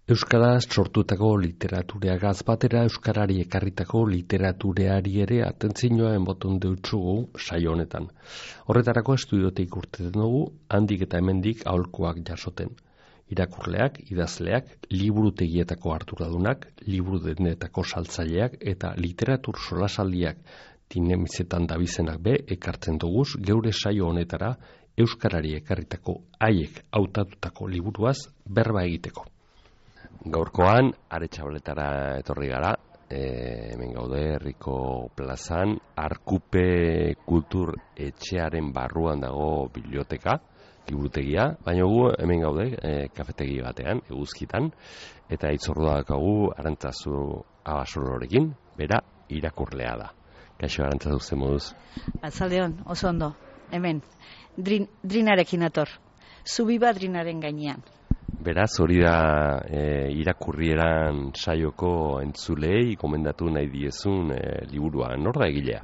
Euskaraz sortutako literatureagaz batera euskarari ekarritako literatureari ere atentzioa enboton deutsugu saio honetan. Horretarako estudiotik urteten dugu, handik eta hemendik aholkuak jasoten. Irakurleak, idazleak, liburutegietako arduradunak, liburu denetako saltzaileak eta literatur solasaldiak dinamizetan dabizenak be ekartzen duguz geure saio honetara euskarari ekarritako haiek hautatutako liburuaz berba egiteko. Gaurkoan, Aretxabaletara etorri gara, e, hemen gaude herriko plazan, Arkupe Kultur Etxearen barruan dago biblioteka, liburutegia, baina gu hemen gaude e, kafetegi batean, eguzkitan, eta itzordua dakagu Arantzazu Abasolorekin, bera irakurlea da. Kaixo Arantzazu zen moduz? Atzaldeon, oso ondo, hemen, drin, drinarekin ator, zubiba drinaren gainean. Beraz, hori da e, irakurrieran saioko entzulei komendatu nahi diezun e, liburua. Nor da egilea?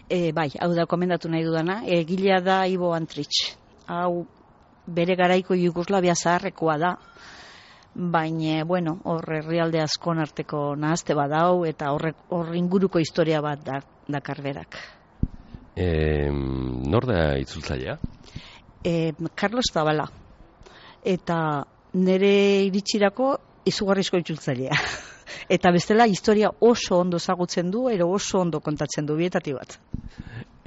E, bai, hau da komendatu nahi dudana. Egilea da Ivo Antrich. Hau bere garaiko Jugoslavia zaharrekoa da. Baina, bueno, hor herrialde askon arteko nahazte badau eta hor inguruko historia bat da, dakar berak. E, nor da itzultzailea? E, Carlos Zabala. Eta nire iritsirako izugarrizko itzultzailea. Eta bestela historia oso ondo ezagutzen du, ero oso ondo kontatzen du, bietati bat.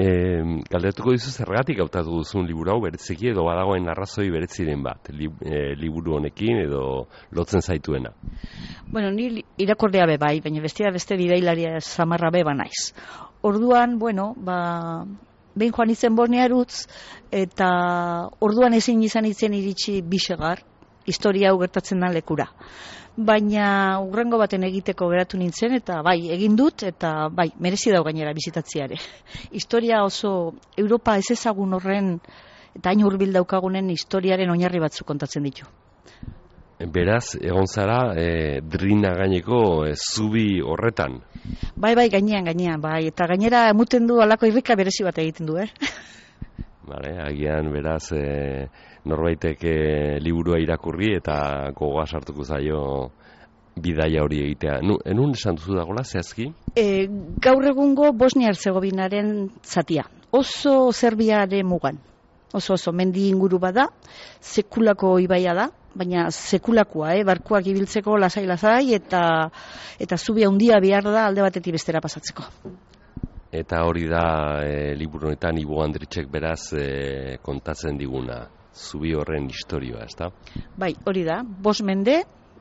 E, galdetuko dizu zergatik hautatu duzun liburu hau bereziki edo badagoen arrazoi bereziren bat, li, e, liburu honekin edo lotzen zaituena? Bueno, ni irakorlea be bai, baina bestia beste bidailaria samarra be ba naiz. Orduan, bueno, ba... behin joan izen Bornearutz, eta orduan ezin izan itzen iritsi bisegar, historia hau gertatzen da lekura. Baina urrengo baten egiteko geratu nintzen, eta bai, egin dut, eta bai, merezi dau gainera bizitatziare. Historia oso, Europa ez ezagun horren, eta hain hurbil daukagunen historiaren oinarri batzuk kontatzen ditu. Beraz, egon zara, e, drina gaineko e, zubi horretan. Bai, bai, gainean, gainean, bai, eta gainera emuten du alako irrika berezi bat egiten du, eh? Vale, agian, beraz, e, norbaitek e, liburua irakurri eta gogoa sartuko zaio bidaia hori egitea. Nu, enun esan duzu dagoela, zehazki? E, gaur egungo Bosnia-Herzegovinaren zatia. Oso Serbiaren mugan. Oso oso mendi inguru bada, sekulako ibaia da, baina sekulakoa, eh? Barkuak ibiltzeko lasai-lasai eta eta zubi handia behar da alde batetik bestera pasatzeko. Eta hori da e, liburu honetan Ibo Andritxek beraz e, kontatzen diguna, zubi horren historioa, ezta? Bai, hori da, bost mende,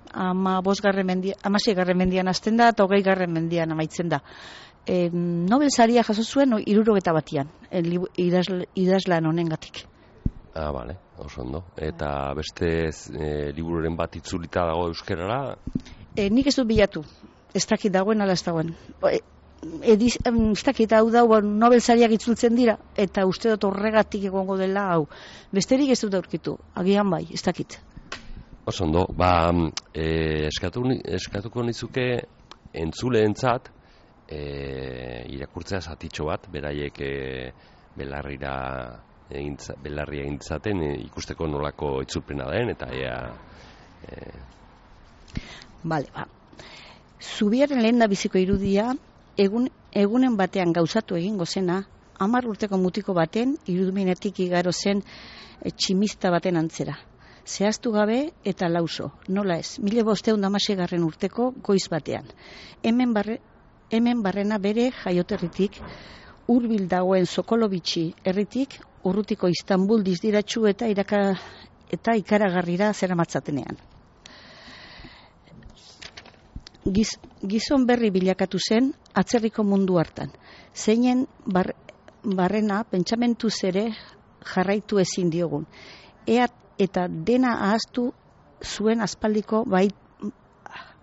ama bosgarren mendia, amaseigarren mendian hasten da eta hogeigarren mendian amaitzen da. E, Nobel saria jaso zuen hirurogeta batian, idazl, idazlan honengatik. Ah, bale, oso ondo. Eta beste e, libururen bat itzulita dago euskerara? E, nik ez dut bilatu, ez dakit dagoen ala ez dagoen. E, Ediz, ez dakit hau da, Nobel sariak itzultzen dira, eta uste dut horregatik egongo dela hau. Besterik ez dut aurkitu, agian bai, ez dakit. Oso ondo, ba, e, eskatu, eskatuko nizuke entzuleentzat e, irakurtzea zatitxo bat, beraiek e, belarrira egintza, belarria egintzaten e, ikusteko nolako itzulpena den, eta ea... E... Bale, ba. Zubiaren lehen da biziko irudia, Egun, egunen batean gauzatu egingo zena, hamar urteko mutiko baten iruduminetik igaro zen e, tximista baten antzera. Zehaztu gabe eta lauso, nola ez, mila bosteun damaseigarren urteko goiz batean. Hemen, barre, hemen barrena bere jaioterritik, hurbil dagoen Sokolovitxi herritik, urrutiko Istanbul dizdiratxu eta, iraka, eta ikaragarrira zeramatzatenean. Giz, gizon berri bilakatu zen atzerriko mundu hartan. Zeinen bar, barrena pentsamentu ere jarraitu ezin diogun. Ea eta dena ahaztu zuen aspaldiko bait,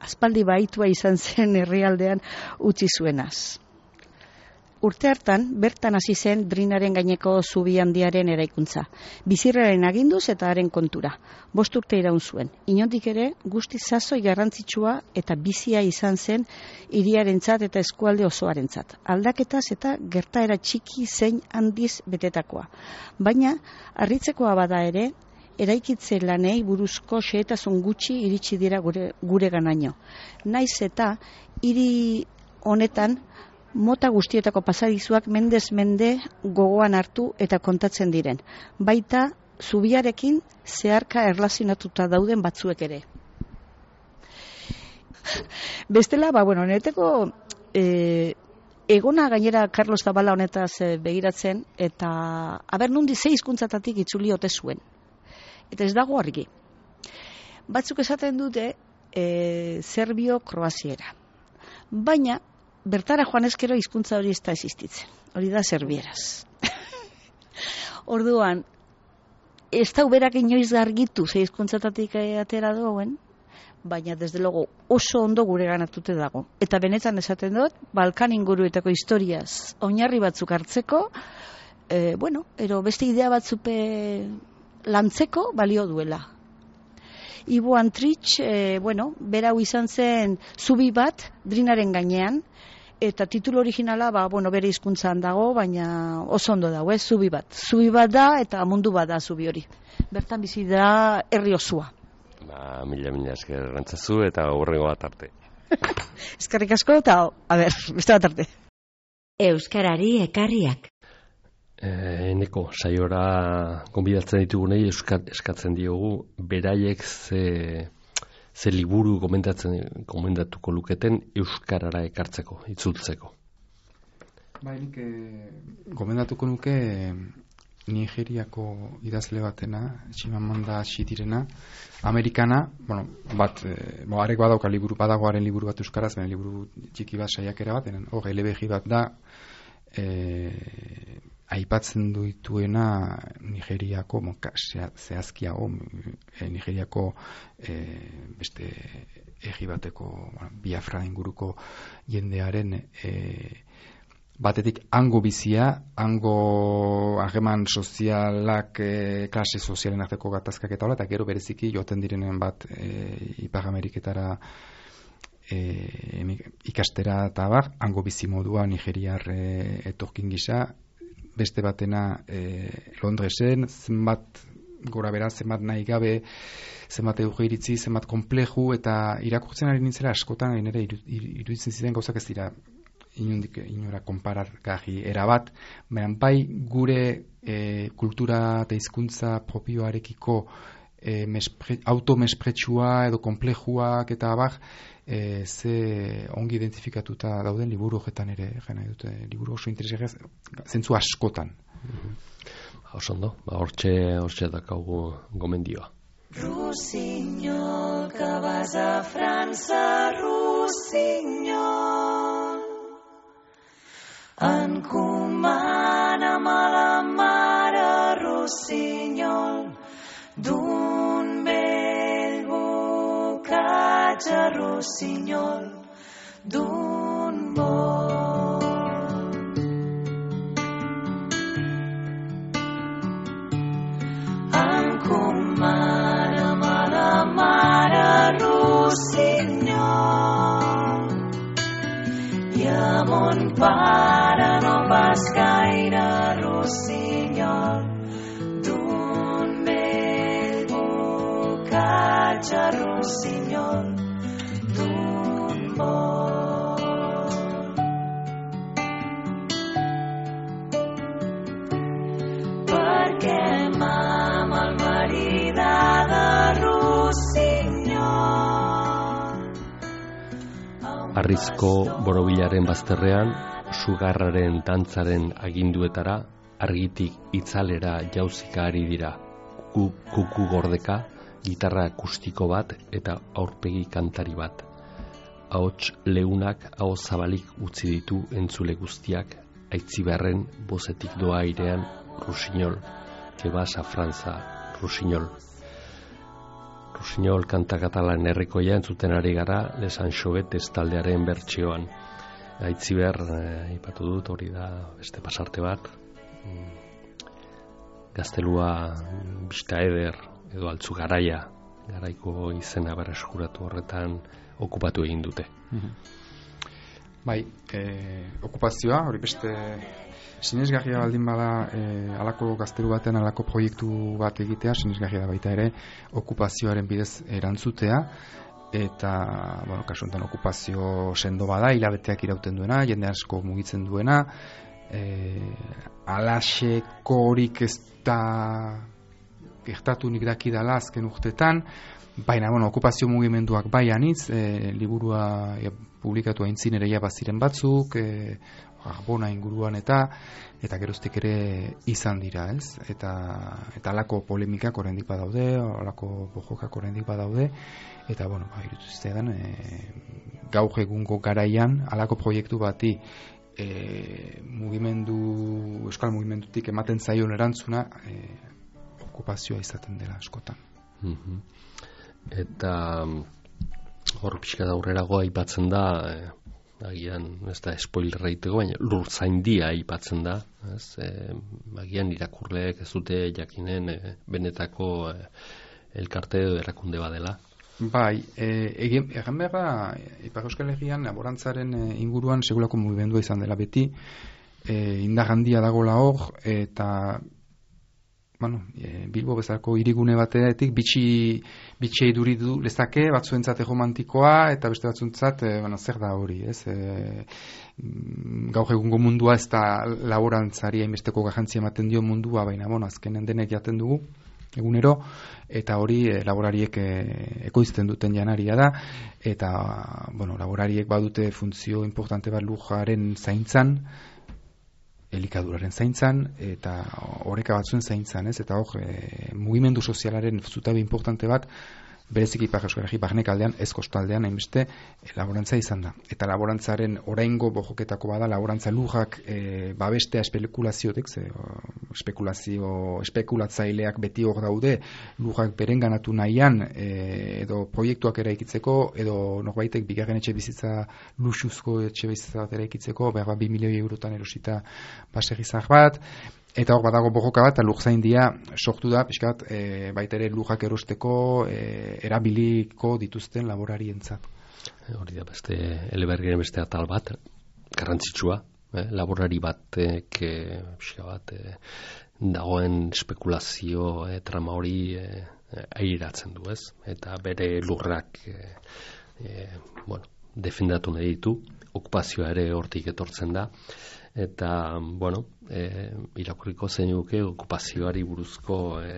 aspaldi baitua izan zen herrialdean utzi zuenaz. Urte hartan, bertan hasi zen Drinaren gaineko zubi handiaren eraikuntza. Bizirraren aginduz eta haren kontura. Bost urte iraun zuen. Inondik ere, guzti sasoi garrantzitsua eta bizia izan zen hiriarentzat eta eskualde osoarentzat. Aldaketaz eta gertaera txiki zein handiz betetakoa. Baina, harritzekoa bada ere, eraikitze lanei buruzko xehetasun gutxi iritsi dira gure, gure ganaino. Naiz eta hiri honetan mota guztietako pasadizuak mendez mende gogoan hartu eta kontatzen diren. Baita zubiarekin zeharka erlazionatuta dauden batzuek ere. Bestela, ba, bueno, neteko e, egona gainera Carlos Zabala honetaz e, begiratzen, eta aber nundi ze hizkuntzatatik itzuli ote zuen. Eta ez dago argi. Batzuk esaten dute e, serbio-kroaziera. Baina bertara joan ezkero hizkuntza hori ez da existitzen. Hori da serbieraz. Orduan, ez da uberak inoiz argitu ze hizkuntzatatik atera duen, baina desde logo oso ondo gure ganatute dago. Eta benetan esaten dut, Balkan inguruetako historiaz oinarri batzuk hartzeko, e, bueno, ero beste idea batzupe lantzeko balio duela. Ibo Andritx, e, bueno, berau izan zen zubi bat Drinaren gainean, eta titulu originala, ba, bueno, bere hizkuntzan dago, baina oso ondo dago, ez, zubi bat. Zubi bat da, eta mundu bat da zubi hori. Bertan bizi da herri osua. Ba, mila, mila esker rantzazu eta horrengo bat arte. Eskerrik asko, eta, a ber, beste bat arte. Euskarari ekarriak. E, eneko, saiora gonbidatzen ditugunei eskatzen diogu, beraiek ze... ze liburu komentatzen komendatuko luketen euskarara ekartzeko, itzultzeko. Bai, nik eh, gomendatuko nuke Nigeriako idazle batena, Chimamanda Adichie, Amerikana, bueno, bat, eh, bo, arek badauka liburu, badagoaren liburu bat euskaraz, baina liburu txiki bat saiakera bat, hor elebeji bat da, eh, aipatzen duituena Nigeriako, zehazkiago, e, Nigeriako e, beste egi bateko, bueno, Biafra inguruko jendearen e, batetik hango bizia, hango hageman sozialak, e, klase sozialen arteko gatazkak eta hola, eta gero bereziki joaten direnen bat e, Ipar Ameriketara e, ikastera eta bar, hango bizi modua Nigeriar e, etorkin gisa, beste batena e, Londresen, zenbat gora bera, zenbat nahi gabe zenbat eduge iritzi, zenbat kompleju, eta irakurtzen ari nintzera askotan nire iruditzen ziren gauzak ez dira inundik inora konparargarri erabat, baina bai gure e, kultura eta hizkuntza propioarekiko e, mespre, automespretsua edo komplejuak eta abar, e, ze ongi identifikatuta dauden liburu horretan ere, jena dute, liburu oso interesgarria zentzu askotan. Mm-hmm. Oso ondo, ba, hortxe, hortxe dakaugu gomendioa. Rossinyol, que vas a França, Rossinyol, encomana'm a la mare, Rossinyol, d'un vell bocatge, Rossinyol, d'un vol. Encomana'm a la mare, Rossinyol, i a mon pare no pas gaire, Rossinyol, d'un vell bocatge, Rossinyol, d'un vol. Perquè m'ha malmaridada, Rossinyol. Arrizko borobilaren bazterrean, sugarraren dantzaren aginduetara, argitik itzalera jauzika ari dira. Kuku gordeka, gitarra akustiko bat eta aurpegi kantari bat. Ahots leunak aho zabalik utzi ditu entzule guztiak, aitziberren bozetik doa airean, Rossinyol, que vas a Franza, Rossinyol. Rossinyol kanta katalan herrikoia entzuten ari gara Les Anchovetes taldearen bertsioan. Aitziber, aipatu eh, dut, hori da beste pasarte bat. Gaztelua Bista Eder edo Altzu Garaia, garaiko izena berreskuratu horretan okupatu egin dute. Mm-hmm. Bai, eh, okupazioa, hori beste sinesgarria baldin bada eh, alako gaztelu batean alako proiektu bat egitea, sinesgarria da baita ere okupazioaren bidez erantzutea, eta bueno, kasu honetan okupazio sendo bada, hilabeteak irauten duena, jende asko mugitzen duena, eh, alaxeko horik ez da gertatu nik dakidala azken urtetan, baina bueno, okupazio mugimenduak bai anitz, eh, liburua e, publikatu aintzin ere ja baziren batzuk, eh, Arbona inguruan eta eta geroztik ere izan dira, ez? Eta eta alako polemikak oraindik badaude, alako bojokak oraindik badaude, eta bueno, ba irutzean eh gaur egungo garaian alako proiektu bati eh mugimendu euskal mugimendutik ematen zaion erantzuna eh okupazioa izaten dela askotan. Mm-hmm. Eta hor pixka da aurrerago aipatzen da, eh, agian ez da spoilerra egiteko, baina lurzaindia aipatzen da, ez? E, agian irakurleek ez dute jakinen e, benetako e, elkarte edo erakunde badela. Bai, e, egin egan behar da, Ipar Euskal Herrian laborantzaren inguruan segulako mugimendua izan dela beti, e, indar handia dagoela hor, eta bueno, e, Bilbo bezalako hirigune batetik bitxi bitxi iduridu lezake, batzuentzat erromantikoa eta beste batzuentzat e, bueno, zer da hori, ez? E, gaur egungo mundua ez da laborantzari hainbesteko garrantzia ematen dio mundua, baina bueno, azkenen denek jaten dugu egunero, eta hori e, laborariek e, ekoizten duten janaria da, eta bueno, laborariek badute funtzio importante bat lujaren zaintzan, elikaduraren zaintzan eta oreka batzuen zaintzan, ez? Eta hor, e, mugimendu sozialaren zutabe importante bat bereziki Ipar Euskal Herri barnek aldean, ez kostaldean hainbeste e, laborantza izan da. Eta laborantzaren oraingo bojoketako bada laborantza lujak e, babestea espekulaziotik, ze espekulazio espekulatzaileak beti hor daude, lujak berenganatu nahian e, edo proiektuak eraikitzeko edo norbaitek bigarren etxe bizitza luxuzko etxe bizitza bat eraikitzeko, behar bat bi milioi eurotan erosita baserrizar bat. Eta hor badago bojoka bat, lurzaindia sortu da, pixkat, e, baita ere lujak erosteko e, erabiliko dituzten laborarientzat. Hori da, beste elebergien beste atal bat, garrantzitsua, eh? Laborari batek, e, pixka bat, e, dagoen espekulazio e, trama hori e, airatzen du, ez? Eta bere lurrak e, e, bueno, defendatu nahi ditu, okupazioa ere hortik etortzen da, eta, bueno, e, irakurriko zeinuke okupazioari buruzko e,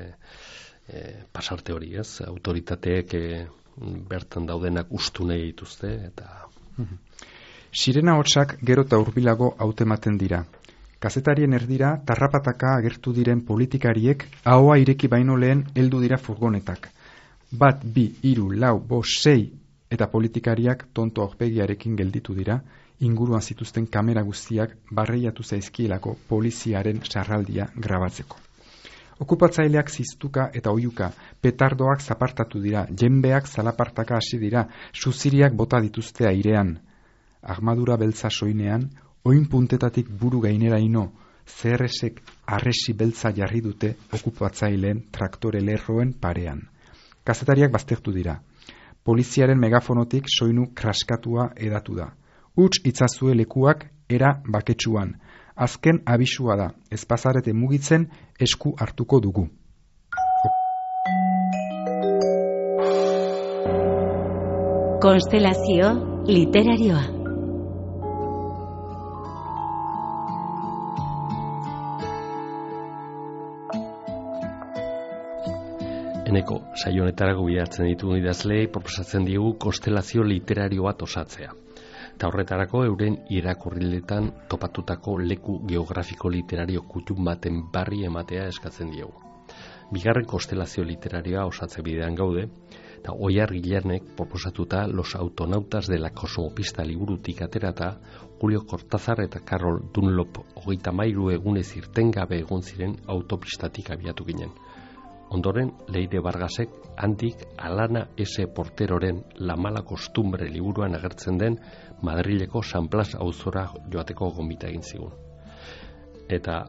e, pasarte hori, ez? Autoritateek e, bertan daudenak ustu nahi dituzte, eta... Sirena hotsak gero eta hurbilago hautematen dira. Kazetarien erdira tarrapataka agertu diren politikariek ahoa ireki baino lehen heldu dira furgonetak. Bat, bi, hiru, lau, bost, sei eta politikariak tonto aurpegiarekin gelditu dira, inguruan zituzten kamera guztiak barreiatu zaizkielako poliziaren sarraldia grabatzeko. Okupatzaileak ziztuka eta oiuka, petardoak zapartatu dira, jenbeak zalapartaka hasi dira, suziriak bota dituzte airean. Armadura beltza soinean, oin puntetatik buru gaineraino, C R S-ek arresi beltza jarri dute okupatzaileen traktore lerroen parean. Kazetariak baztertu dira. Poliziaren megafonotik soinu kraskatua edatu da. Huts itzazue lekuak era baketsuan. Azken abisua da, ez bazarete mugitzen esku hartuko dugu. Konstelazio literarioa. Eneko, saio honetarako bideratzen ditu idazleei proposatzen diegu konstelazio literario bat osatzea. Eta horretarako euren irakurriletan topatutako leku geografiko literario kutun baten barri ematea eskatzen diegu. Bigarren konstelazio literarioa osatze bidean gaude, eta Oiar Gilernek proposatuta Los autonautas de la kosmopista liburutik aterata, Julio Cortázar eta Carol Dunlop hogeita hamairu egunez irtengabe egon ziren autopistatik abiatu ginen. Ondoren, Leire Vargasek handik Alana S. Porteroren La mala costumbre liburuan agertzen den Madrileko San Blas auzora joateko gonbita egin zigun. Eta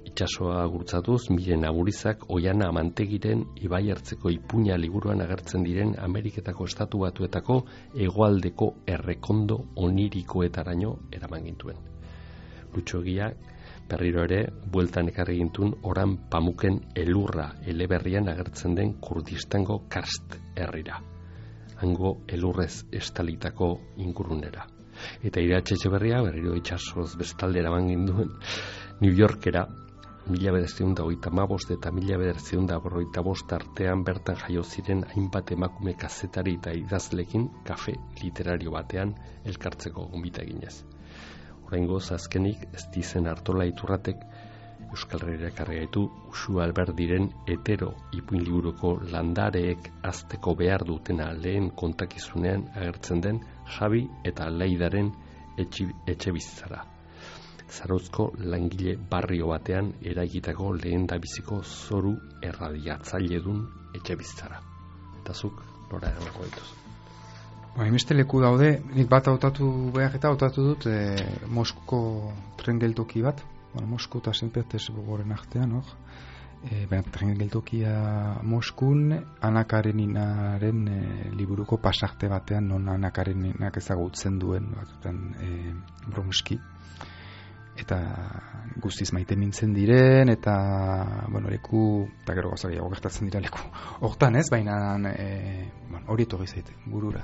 itsasoa gurtzatuz, Miren Amurizak Oiana Amantegiren Ibai Ertzeko ipuina liburuan agertzen diren Ameriketako estatu batuetako hegoaldeko errekondo onirikoetaraino eraman gintuen. Lutxogiak berriro ere, bueltan ekarri gintun oran pamuken elurra eleberrian agertzen den Kurdistango Karst herrira. Hango elurrez estalitako ingurunera. Eta Iratxe Etxeberria berriro itsasoz bestalde eraman ginduen New Yorkera, mila bederatziehun eta hogeita hamabost eta mila bederatziehun eta berrogeita bost artean bertan jaio ziren hainbat emakume kazetari eta idazlekin kafe literario batean elkartzeko gonbita eginez. Oraingoz azkenik ez dizen Artola Iturratek Euskal Herrira ekarri gaitu Uxu Alberdiren hetero ipuin liburuko landareek azteko behar dutena lehen kontakizunean agertzen den Jabi eta Laidaren etxe bizitzara. Zarauzko langile barrio batean eraikitako lehen dabiziko zoru erradiatzailedun etxe bizitzara. Eta zuk nora erango dituzu. Hainbeste leku daude, nik bat hautatu behar eta hautatu dut e, Moskuko tren geltoki bat, bueno, Mosku eta Saint Petersburgoren artean, hor. E, tren geltokia Moskun, Ana Kareninaren e, liburuko pasarte batean, non Ana Kareninak ezagutzen duen, batuten e, Bromski. Eta guztiz maite mintzen diren, eta, bueno, leku, eta gero gauzagiago gertatzen dira leku. Hortan ez, baina e, bueno, hori etorri zaite, burura.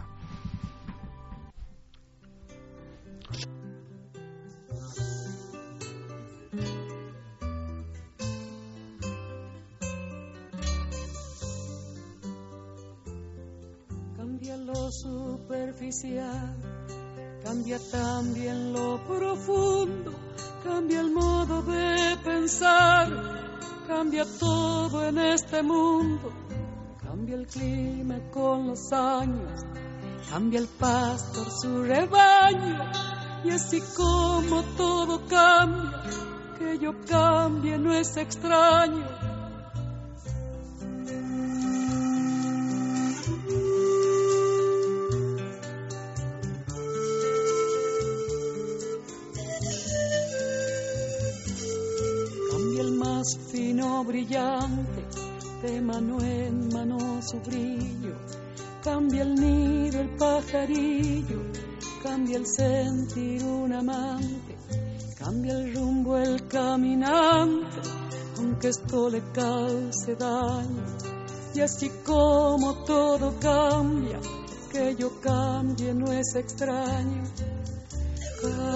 Cambia lo superficial, cambia también lo profundo, cambia el modo de pensar, cambia todo en este mundo, cambia el clima con los años, cambia el pastor su rebaño, y así como todo cambia, que yo cambie no es extraño. Fino brillante, de mano en mano su brillo, cambia el nido el pajarillo, cambia el sentir un amante, cambia el rumbo el caminante, aunque esto le cause daño, Y así como todo cambia, que yo cambie no es extraño. Cambia,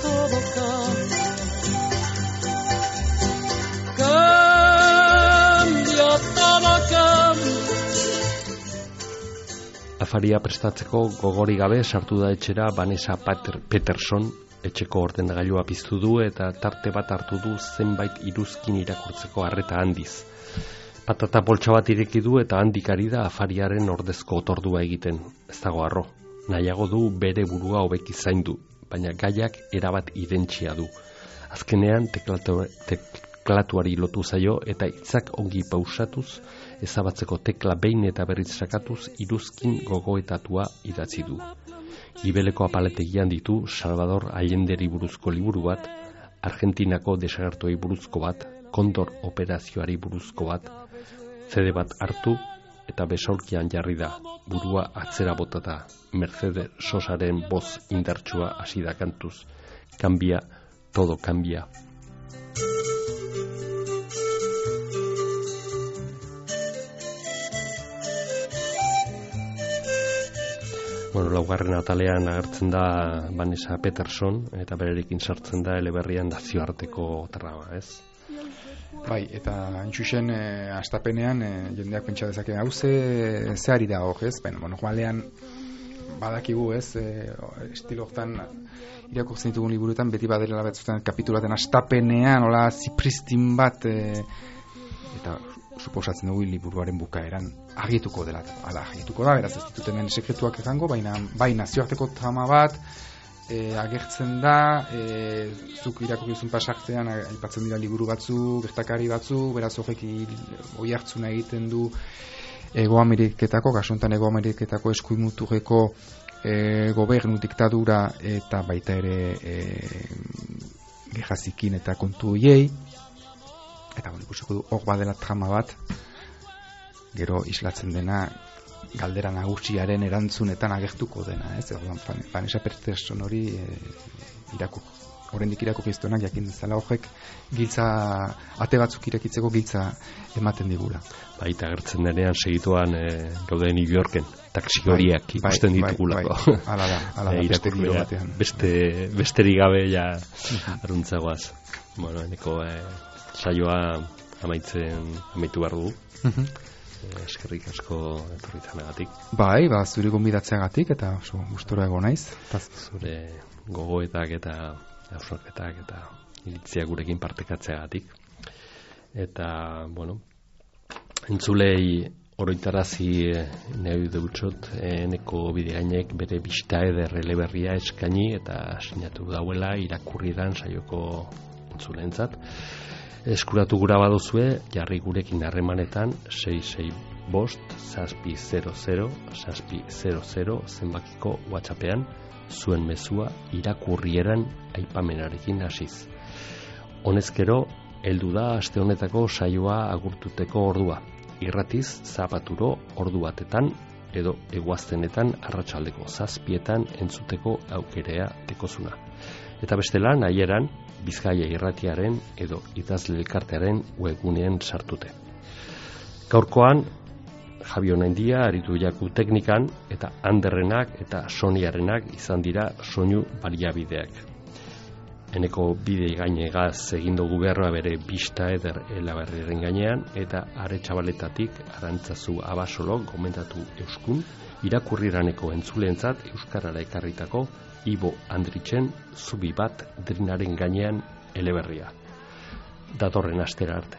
todo cambia. Cambia, todo cambia. Afaria prestatzeko gogori gabe sartu da etxera Vanessa Peterson, etxeko ordenagailua piztu du eta tarte bat hartu du zenbait iruzkin irakurtzeko arreta handiz. Patata poltsa bat ireki du eta handik ari da afariaren ordezko otordua egiten. Ez dago harro, nahiago du bere burua hobeki zaindu, baina gaiak erabat identsia du. Azkenean teklatu, teklatuari lotu zaio eta hitzak ongi pausatuz, ezabatzeko tekla behin eta berriz sakatuz iruzkin gogoetatua idatzi du. Gibeleko apaletegian ditu Salvador Allenderi buruzko liburu bat, Argentinako desagertuei buruzko bat, Kondor operazioari buruzko bat, zede bat hartu eta besaulkian jarri da, burua atzera botata, Mercedes Sosaren boz indartsua hasi da kantuz. Cambia, todo cambia. Bueno, laugarren atalean agertzen da Vanessa Peterson eta bererekin sartzen da eleberrian nazioarteko traba, ez? Bai, eta intxuxen e, astapenean e, jendeak pentsa dezake hau ze zehari da hor, ez? Ben, bueno, joalean badakigu, ez? E, estilo hortan irakurtzen ditugun liburuetan beti badirela batzutan kapitulaten astapenean, hola zipristin bat e, eta suposatzen dugu liburuaren bukaeran argituko dela, ala argituko da, beraz ez ditut hemen sekretuak egango, baina bai nazioarteko trama bat e, agertzen da, e, zuk irakurrizun pasartean aipatzen dira liburu batzu, gertakari batzu, beraz horrek oi hartzuna egiten du Ego Ameriketako, kasuntan Ego Ameriketako eskuimuturreko e, gobernu diktadura eta baita ere e, gerrazikin eta kontu hoiei. Eta bueno, ikusiko du hor badela trama bat, gero islatzen dena galdera nagusiaren erantzunetan agertuko dena, ez? Orduan Vanessa Peterson hori e, irakur, oraindik irakurriztuenak jakin dezala horrek giltza ate batzuk irekitzeko giltza ematen digula. Baita agertzen denean segituan e, gaude New Yorken, taxi horiak ikusten bai, ditugulako. Bai, bai. Hala da, hala da, beste giro batean. Beste, besterik gabe ja aruntzagoaz. Bueno, eneko e, saioa amaitzen amaitu behar dugu. Uh-huh. Eskerrik asko etorritzanagatik. Bai, ba, zure gonbidatzeagatik eta oso gustora egon naiz. Zure gogoetak eta hausnarketak eta iritzia gurekin partekatzeagatik. Eta, bueno, entzulei oroitarazi nahi dutxot, eneko bidegainek bere bista eder eleberria eskaini eta sinatu dauela irakurridan saioko entzuleentzat. Eskuratu gura baduzue, jarri gurekin harremanetan sei sei bost zazpi zero zero zazpi zero zero zenbakiko WhatsAppean zuen mezua irakurrieran aipamenarekin hasiz. Honezkero, heldu da aste honetako saioa agurtuteko ordua. Irratiz zapaturo ordu batetan edo eguaztenetan arratsaldeko zazpietan entzuteko aukerea dekozuna. Eta bestela nahieran Bizkaia Irratiaren edo Idazle Elkartearen webgunean sartute. Gaurkoan Javier Naindia aritu jaku teknikan eta Anderrenak eta Soniarenak izan dira soinu baliabideak. Eneko bide gainegaz egin dugu beharra bere bista eder elaberriaren gainean eta Aretxabaletatik Arantzazu Abasolo gomendatu euskun irakurriraneko entzuleentzat euskarara ekarritako Ibo Andritzen zubi bat drinaren gainean eleberria. Datorren astera arte.